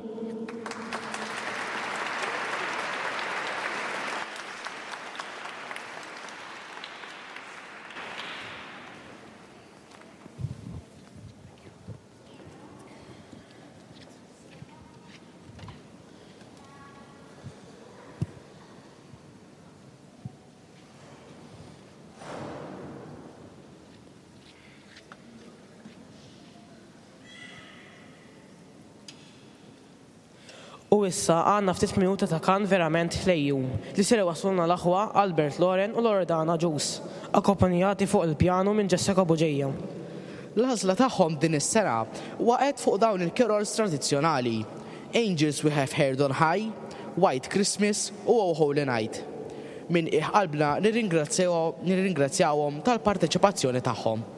U issa għandna ftit minuti ta' kant verament ħlejju li ser iwasslulna l-aħwa Albert Loren u Loredana Agius, akkompanjati fuq il-pjanu minn Jessica Bugeja.
L-għażla tagħhom din is-sena waqgħet fuq dawn il-carols tradizzjonali, Angels We Have Heard on High, White Christmas u O Holy Night. Minn qiegħ qalbna nirringrazzjawhom tal-parteċipazzjoni tagħhom.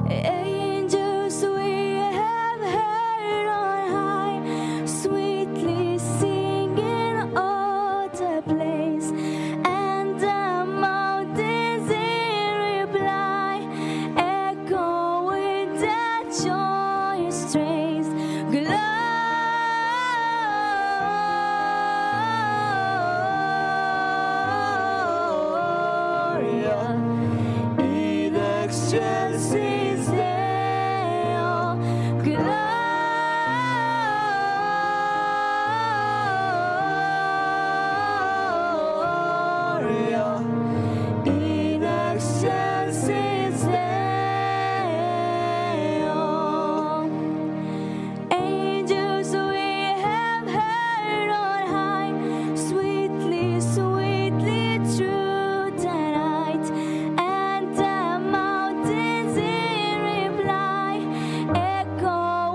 Angels we have heard on high, sweetly singing all the place, and the mountains in reply echo with the joyous strains. Gloria in excelsis Deo. Gloria in excelsis Deo. Angels we have heard on high, sweetly, sweetly through the night, and the mountains in reply echo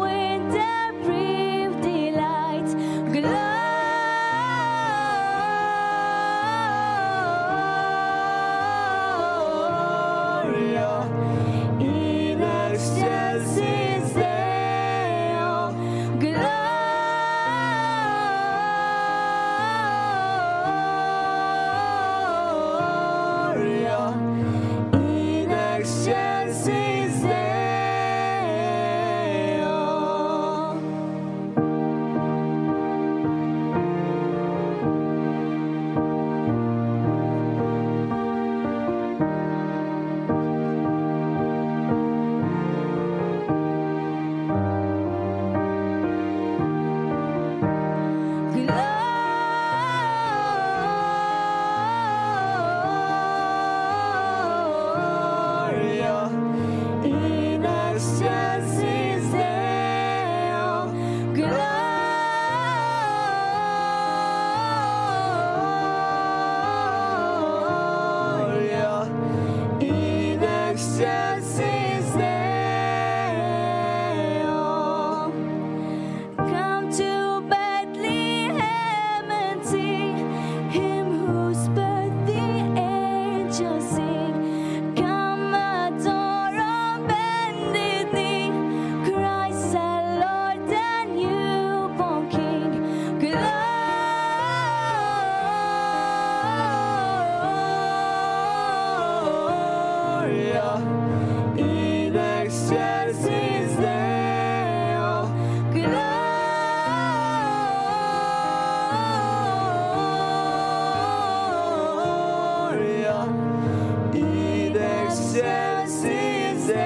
Excelsis Deo.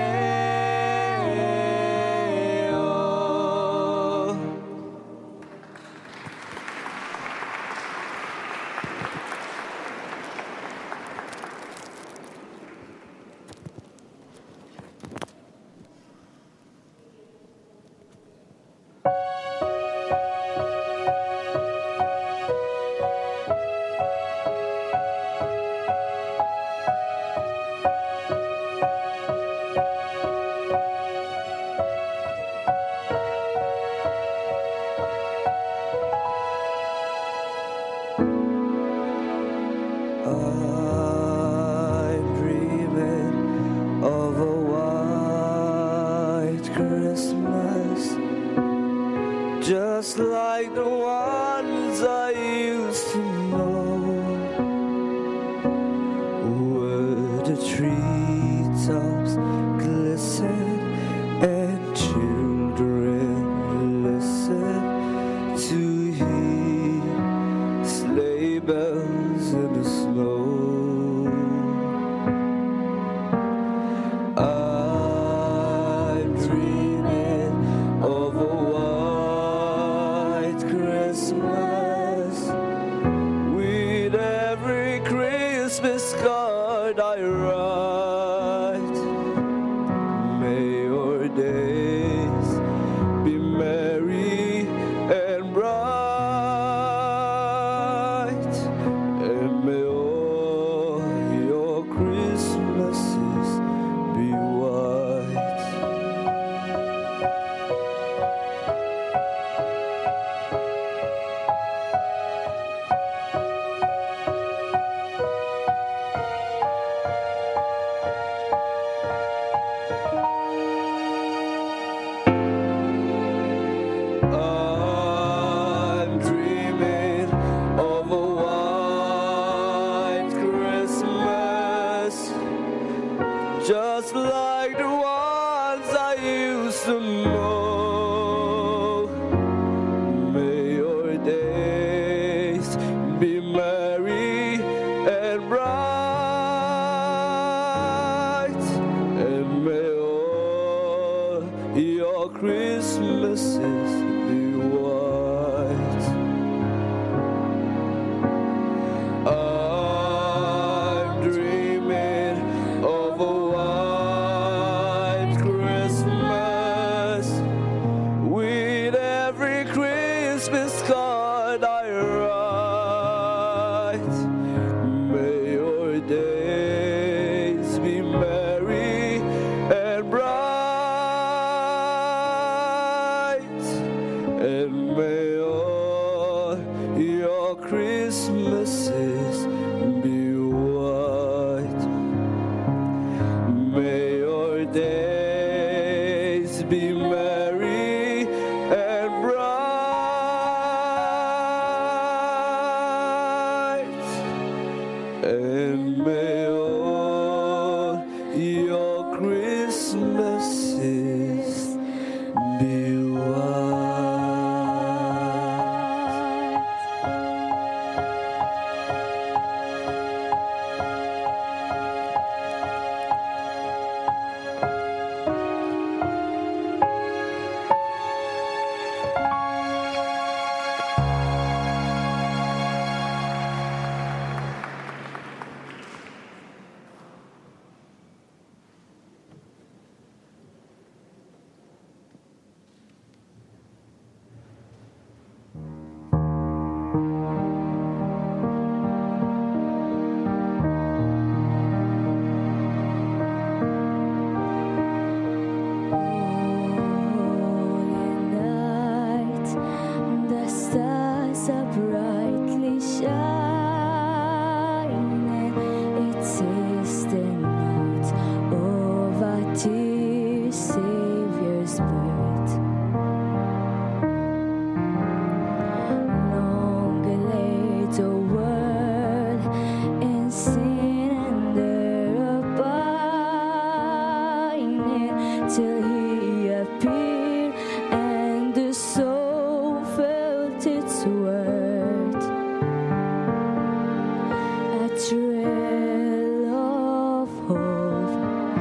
I'm dreaming of a white Christmas, just like the ones I used to know, where the treetops glisten and children listen to hear sleigh bells in the snow. I'm dreaming of a white Christmas with every Christmas card I write. May your days be merry and bright, and may all your Christmases be white. I'm dreaming of a white Christmas, just like the ones I used to know. May your days be merry and bright, and may all your Christmases be white. I'm dreaming of a white Christmas with every Christmas card I write. May your days be merry and bright, and may all your Christmases be white. May your days be merry and bright, and may all your Christmases be white.
Night, the stars are brightly shining. It is the night of our dear Savior's birth. Long lay the world in sin and error pining, till he appeared and the soul felt its worth. A thrill of hope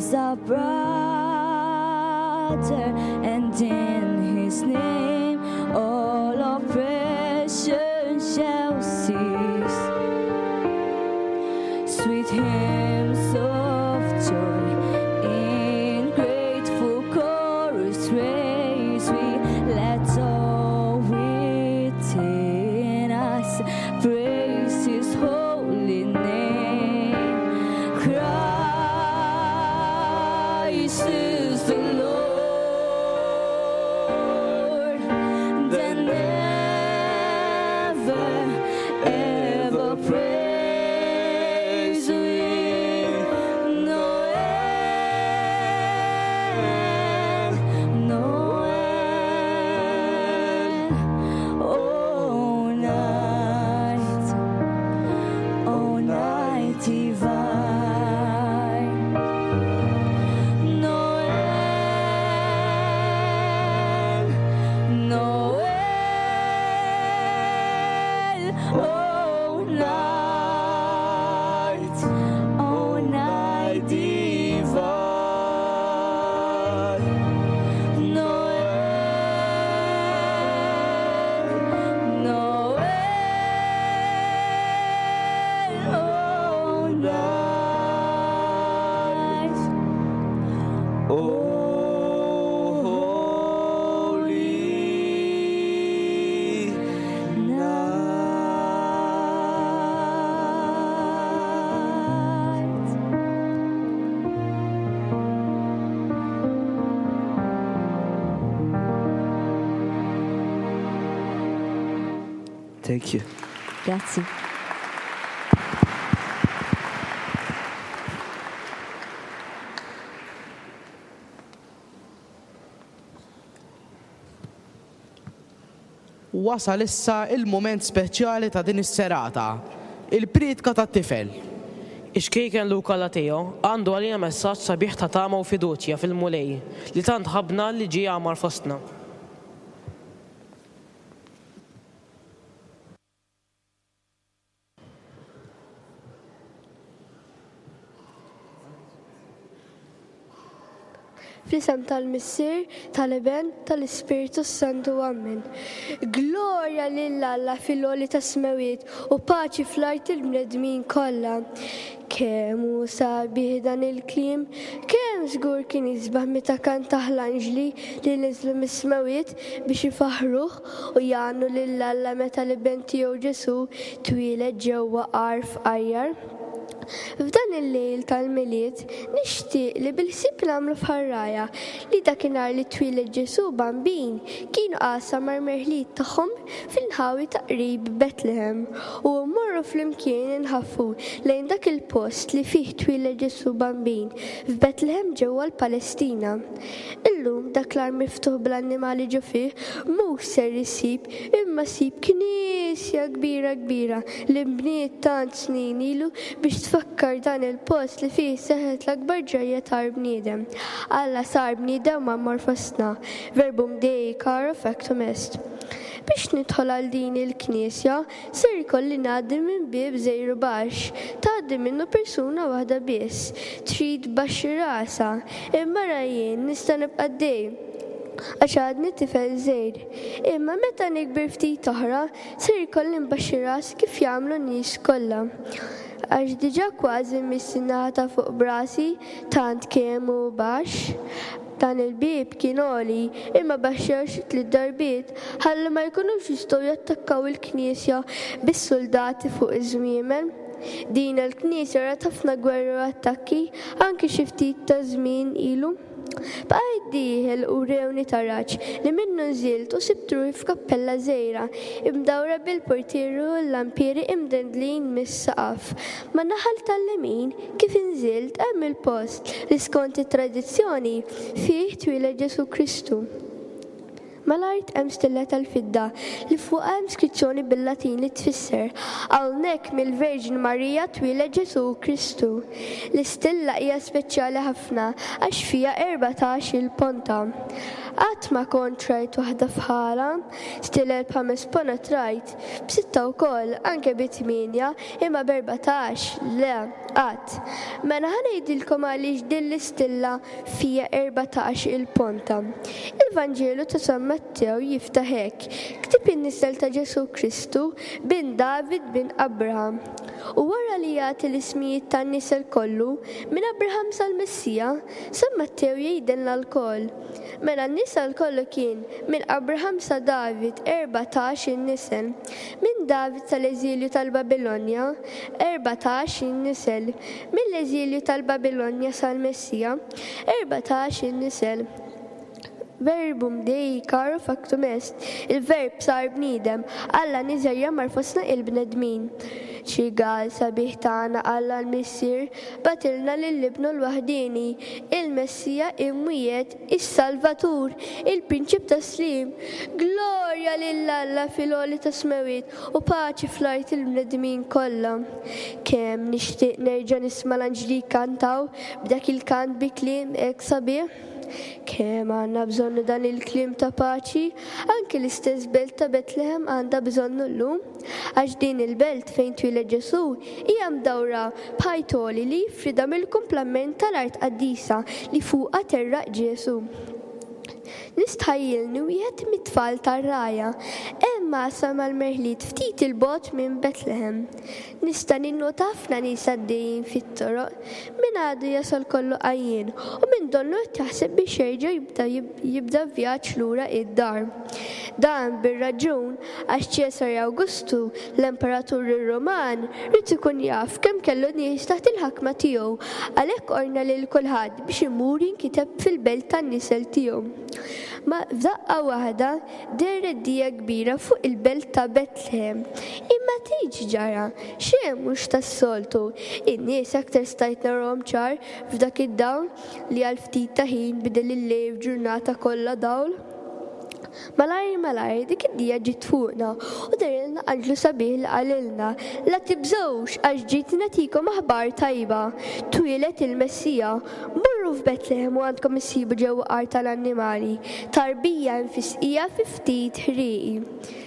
is our brother, and in his name all oppression shall cease. Sweet hymns of joy in grateful chorus raise we let all within us praise his holy name. Christ is the Lord, then never ever praise we no end, no end. Oh night, oh night divine. No end, no end. Oh night, oh night divine. No end, no end. Oh night.
Oh, holy
night.
Thank you.
Grazzi.
Wasal issa il-mument speċjali ta' din is-serata, il-prietka tat-tifel.
Ix-ċkejken Luca Lateo għandu għalina messaġġ sabiħ ta' tama u fiduċja fil-Mulej li tant ħabbna li ġie jgħammar fostna.
Fl-isem tal-Missier, tal-Iben, tal-Ispirtu s-Santu. Ammen. Glorja lil Alla fil-għoli tas-smewiet u paċi fl-art il-bnedmin kollha. Kemm hu sabiħ dan il-kliem, kemm żgur kien isbaħ meta kantah l-anġli li niżlu mis-smewiet biex ifaħħruh u jgħannu lil Alla meta l-Iben tiegħu Ġesù twieled ġewwa għar fqajjar. F'dan il-lejl tal-Milied, nixtieq li bil-ħsieb nagħmlu f'ħarraja li dakinhar li twieled Ġesù Bambin kienu qasam mal-merħliet tagħhom fl-inħawi ta' qrib Betlehem u mmorru flimkien inħaffu lejn dak il-post li fih twieled Ġesù Bambin f'Betlehem ġewwa l-Palestina. Illum dak l-għar miftuħ bl-annimali ġo fih mhux ser issib imma ssib knisja kbira kbira li nbniet tant snin ilu biex tfakkar dan il-post li fih seħħet l-akbar ġrajja tal-bniedem. Alla sar bniedem u għammar fostna. Verbum Dei caro factum est. Biex nidħol għal din il-knisja, ser ikolli ngħaddi minn bieb żgħir u baxx. Tgħaddi minnu persuna waħda biss. Trid tbaxxi rasha. Imma ara jien nista' nibqa' għaddej. Għax għadni tifel żgħir. Imma meta nikber ftit oħra, ser ikolli nbaxxi rasi kif jagħmlu n-nies kollha. Għax diġà kważi mmiss in-naħa ta' fuq b'rasi tant kemm hu baxx. Dan il-bieb kien għoli, imma baxxew xi tliet darbiet ħalli ma jkunux jistgħu jattakkaw il-knisja bis-suldati fuq iż-żwiemel. Din il-knisja rat ħafna gwerri u attakki anki xi ftit ta' żmien ilu. Bqajt dieħel u rewni taraġ li minnu nżilt u sibt ruħi f'kappella żgħira, imdawra bil-portieri u l-lampieri imdendlin mis-saqaf. Man-naħa tal-lemin, kif inżilt, hemm il-post li skont it-tradizzjoni fih twieled Ġesù Kristu.
Mal-art hemm stilla tal-fidda li fuqha hemm skrizzjoni bil-Latin li tfisser, Hawnhekk mill-Verġni Marija twieled Ġesù Kristu. L-istilla hija speċjali ħafna għax fiha 14-il ponta. Qatt ma kont rajt waħda bħalha. Stilel b'ħames ponot rajt, b'sitta wkoll, anke bi tmienja, imma b'erbatax, le, qatt. Mela ħa ngħidilkom għaliex din l-istilla fiha 14 il-ponta. Il-Vanġelu ta' San Mattew jiftaħ hekk, Ktieb in-nisel ta' Ġesù Kristu, bin David bin Abraham. U wara li jagħti l-ismijiet tan-nisel kollu, minn Abraham sal-Messija, San Mattew jgħidilna lkoll, Mela n-nisel kollu kien, minn Abraham sa David, 14 il-nisel. Minn David sal-eżilju tal-Babilonja, 14 il-nisel. Mill-eżilju tal-Babilonja sal-Messija, 14 il-nisel. Verbum Dei caro factum est, il-Verb sar bniedem, Alla niżel jgħammar fostna il-bnedmin. Xi rigal sabiħ tana Alla l-Missier, Bagħtilna lil Ibnu l-waħdieni, il-Messija imwiegħed, is-Salvatur, il-Prinċip tas-sliem. Glorja lil Alla fil-għoli tas-smewwiet u paċi fl-art il-bnedmin kollha. Kemm nixtieq nerġa' nisma' l-anġli jkantaw b'dak il-kant bi kliem hekk sabiħ! Kemm għandna bżonnu dan il-kliem ta' paċi, anki l-istess belt ta' Betlehem għandha bżonnu llum. Għax din il-belt fejn twieled Ġesù hija mdawra b'ħajt għoli li jifridha mill-kumplament tal-art qaddisa li fuqha terraq Ġesù. Nistħajjilni wieħed mit-tfal tar-rgħajja hemm għasa mal-merħliet ftit 'il bogħod minn Betlehem. Nista' ninnota ħafna nies għaddejjin fit-toroq, min għadu jasal kollu għajjien u min donnu qed jaħseb biex jerġa' jibda jibda vjaġġ lura id-dar. Dan bir-raġun għax Ċesari Awgustu, l-emperatur Ruman, ried ikun jaf kemm kellu nies taħt il-ħakma tiegħu, għalhekk ordna lil kulħadd biex imur jinkiteb fil-belt tan-nisel tiegħu. Ma f'daqqa waħda dehret dija kbira fuq il-belt ta' Betlehem. Imma tgħid x'ġara? Xejn mhux tas-soltu. In-nies aktar stajt narahom ċar f'dak id-dawl li għal ftit ta' ħin bidel il-lejl f'ġurnata kollha dawl. Malajr malajr dik id-dija ġiet fuqna u dehrilna anġlu sabiħ li qalilna, La tibżgħux għax ġejt nagħtikom aħbar tajba. Twieled il-Messija. Morru f'Betlehem u għandkom issibu ġewwa għar tal-annimali, tarbija imfisqija fi ftit ħrieqi.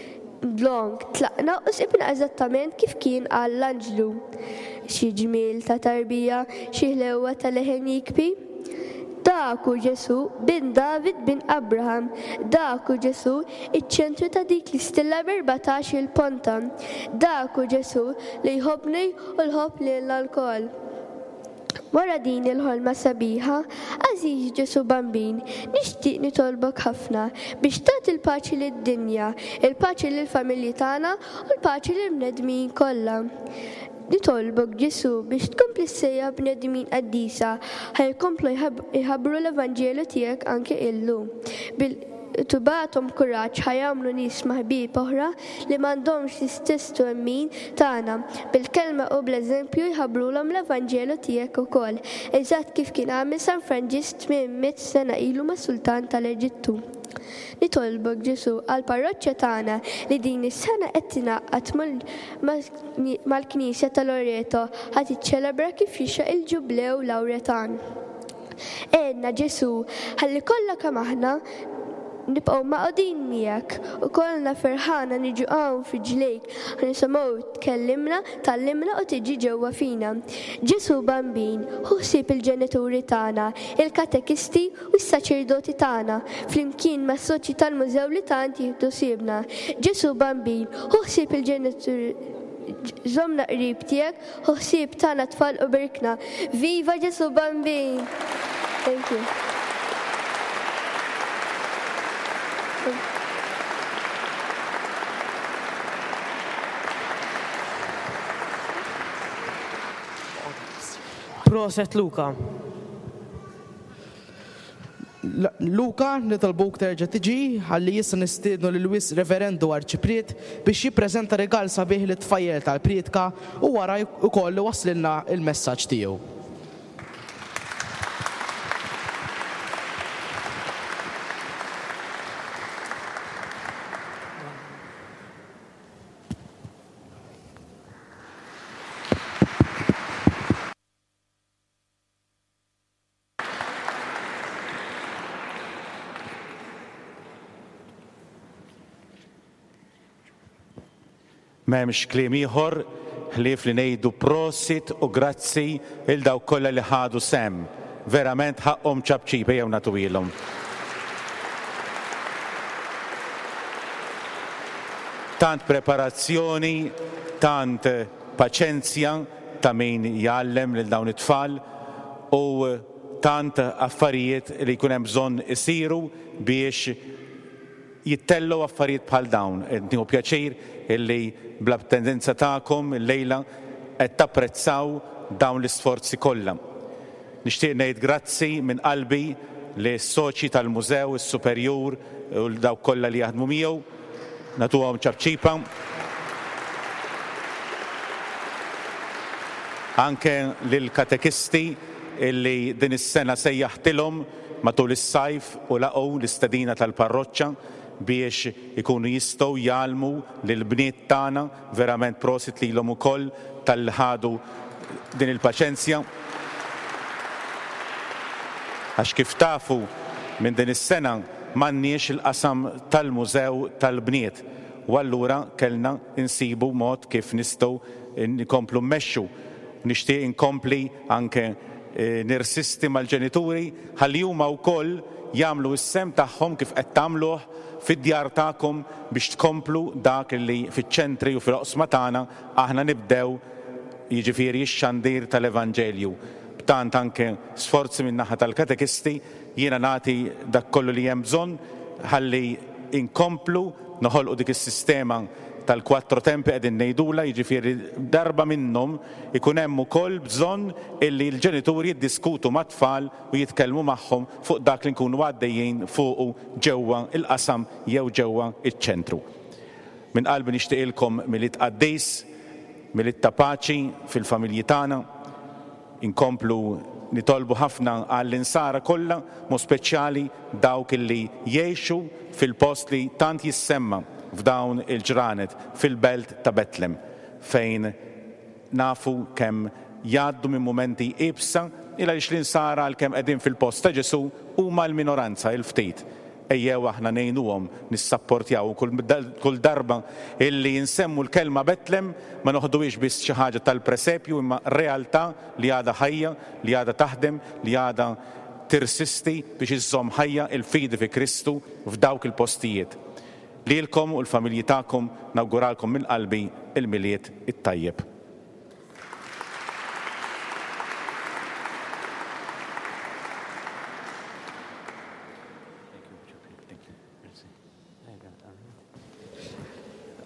Dlonk, tlaqna u sibna eżattament kif kien qal l-anġlu. Xi ġmiel ta' tarbija, xi ħlewwa ta' leħen jikbi! Dak hu Ġesù, bin David bin Abraham. Dak hu Ġesù, iċ-ċentru ta' dik l-istilla b'erbatax-il ponta. Dak hu Ġesù li jħobbni u jħobb lilna lkoll. Wara din il-ħolma sabiħa, għażiż Ġesù Bambin, nixtieq nitolbok ħafna biex tagħti l-paċi lid-dinja, il-paċi lill-familji tagħna u l-paċi lill-bnedmin kollha. Nitolbok Ġesù biex tkompli ssejjaħ bnedmin qaddisa ħa jkomplu jħabbru l-Evanġelju tiegħek anke illum. Tibgħathom kuraġġ ħa jagħmlu nies ma' ħbieb oħra li m'għandhomx l-istess twemmin tagħna. Bil-kelma u bl-eżempju jħabbrulhom l-Evanġelu tiegħek ukoll, eżatt kif kien għamel San Franġisk 800 sena ilu mas-sultan tal-Eġittu. Nitolbok, Ġesù, għall-parroċċa tagħna li din is-sena qed tingħaqad mal-Knisja ta' Loreto ħa tiċċelebra kif jixraq il-Ġublew Lawretan. Għinna Ġesù, ħalli kollha kemm aħna nibqgħu magħqudin miegħek u kollna ferħana niġu hawn f'riġlejk ħa nisimgħu tkellimna, tgħallimna u tiġi ġewwa fina. Ġesù Bambin, ħu ħsieb il-ġenituri tagħna, il-katekisti u s-saċerdoti tagħna, flimkien mas-soċji tal-mużew li tant jieħdu ħsiebna. Ġesù Bambin, ħu ħsieb il-ġenituri żommna qrib tiegħek Ħu ħsieb tagħna tfal u berikna. Viva Ġesu Bambin! Thank you.
Proset Luca.
Luca, nitolbuk terġa' tiġi ħalli issa nistiednu lil Wis Reverendu Arċipriet biex jippreżenta rigal sabiħ lit-tfajjel tal-prietka u wara wkoll iwasslilna l-messaġġ tiegħu.
M'hemmx kliem ieħor ħlief li ngħidu prosit u grazzi 'l dawk kollha li ħadu sehem. Verament ħaqqhom ċapċip, ejjew nagħtuhielhom. Tant preparazzjoni, tant paċenzja ta' min jgħallem lil dawn it-tfal u tant affarijiet li jkun hemm bżonn isiru biex jittellgħu affarijiet bħal dawn. Qed nieħu pjaċir illi bl-attendenza tagħkom illejla qed tapprezzaw dawn l-isforzi kollha. Nixtieq ngħid grazzi minn qalbi lis-soċji tal-mużew, is-superjur u 'l dawk kollha li jaħdmu miegħu. Nagħtuhom ċapċipa. Anke lill-katekisti illi din is-sena sejjaħtilhom matul is-sajf u laqgħu l-istedina tal-parroċċa biex ikunu jistgħu jgħallmu lill-bniet tagħna, verament prosit lilhom ukoll talli ħadu din il-paċenzja. Għax kif tafu minn din is-sena m'għandniex il-qasam tal-mużew tal-bniet u allura kellna nsibu mod kif nistgħu nkomplu mmexxu. Nixtieq inkompli anke nirsisti mal-ġenituri ħalli huma wkoll jagħmlu s-sehem tagħhom kif qed tagħmluh fid-djar tagħkom biex tkomplu dak li fiċ-ċentri u fil-oqsma tagħna aħna nibdew, jiġifieri x-xandir tal-Evanġelju. B'tant anke sforzi min-naħa tal-katekisti, jiena nagħti dak kollu li hemm bżonn ħalli nkomplu noħolqu dik is-sistema tal-quattro tempi qegħdin ngħidulha, jiġifieri darba minnhom ikun hemm ukoll bżonn illi l-ġenituri jiddiskutu mat-tfal u jitkellmu magħhom fuq dak li nkunu għaddejjin fuqu ġewwa l-qasam jew ġewwa ċ-ċentru. Minn qalbi nixtieqilkom Milied qaddis, Milied ta' paċi fil-familji tagħna. Inkomplu nitolbu ħafna għall-Insara kollha, mod speċjali dawk illi jgħixu fil-post li tant jissemma f'dawn il-ġranet, fil-belt ta' Betlem, fejn nafu kemm jgħaddu minn mumenti iebsa, il għaliex l-Insara għalkemm qegħdin fil-post ta' Ġesù huma l-minoranza, il-ftit. Ejjew aħna ngħinuhom, nissapportjaw u kull darba illi nsemmu l-kelma Betlem ma noħduhiex biss xi ħaġa tal-presepju imma realtà li għadha ħajja, li għadha taħdem, li għadha tirsisti biex iżżomm ħajja l-fidi fi Kristu f'dawk il-postijiet. Lilkom u l-familji tagħkom nawguralkom minn qalbi l-Milied it-tajjeb.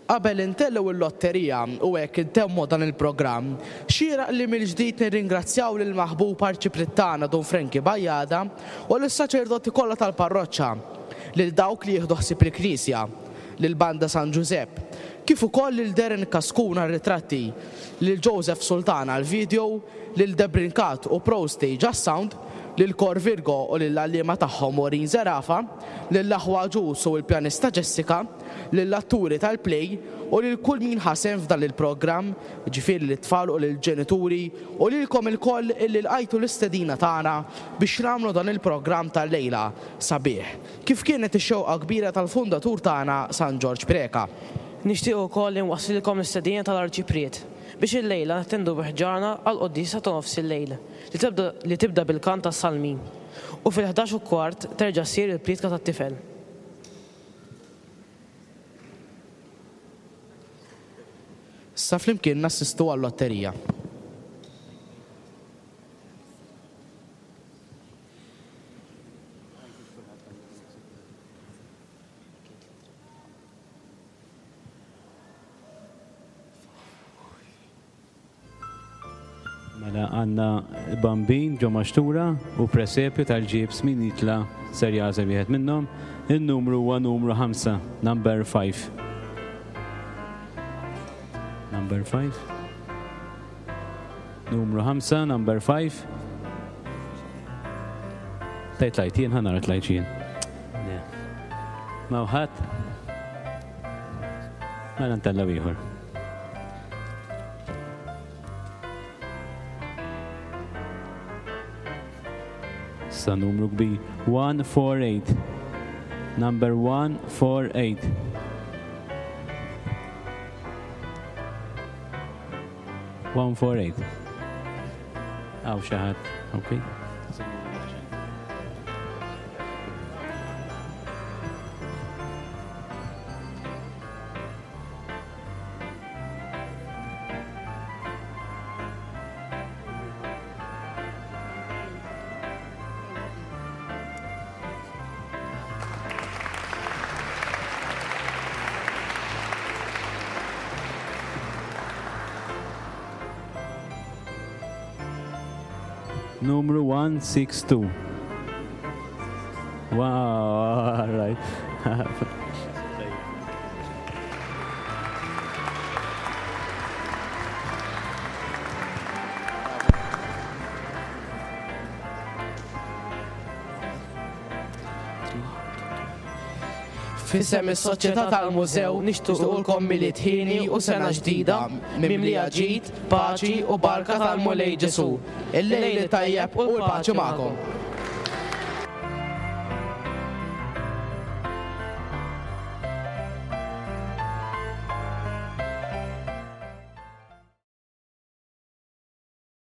Qabel intellgħu l-lotterija u hekk intemmu dan il-programm, xieraq li mill-ġdid nirringrazzjaw lill-maħbub Arċipriet tagħna Dun Frankie Bajada u lis-saċerdoti kollha tal-parroċċa, lil dawk li jieħdu ħsieb il-knisja, lill-Banda San Ġużepp, kif ukoll lil Darren Cascun għar-ritratti, lil Joseph Sultan għall-video, lil Debrincat u Pro Stage għas-sound, lil Kor Virgo u lill-għalliema tagħhom Maureen Zerafa, lill-aħwa Agius u l-pjanista Jessica, lill-atturi tal-play u lil kull min ħa sehem f'dan il-programm, jiġifieri lit-tfal u lill-ġenituri u lilkom ilkoll illi lqajtu l-istedina tagħna biex nagħmlu dan il-programm tal-lejla sabiħ, kif kienet ix-xewqa kbira tal-fundatur tagħna San Ġorġ Preca.
Nixtieq ukoll inwasslilkom l-istedina tal-Arċipriet biex illejla nattendu bi ħġarna għall-quddiesa ta' nofs il-lejl li tibda li tibda bil-kant tas-salmi u fil-11 u kwart terġa' ssir il-prietka tat-tifel.
Issa flimkien nassistu għal-lotterija.
Mela għandna bambin ġo maxtura u presepju tal-ġibs min jitla' ser jagħżel wieħed minnhom. In-numru huwa numru 5, number 5. Number 5. Numru 5, number 5. Tajt lajt jien, ħanara tlajt jien. Ma ħadd. Mela ntella ieħor. Sa numru kbir. 148. Number 148. 148. Hawn xi ħadd, ok. Numru 162. Wow, all right.
F'isem is-Soċjetà tal-Mużew nixtiequlkom Milied ħieni u sena ġdida mimlija ġid, paċi u barka tal-Mulej Ġesù. Il-lejl it-tajjeb u l-paċi magħkom.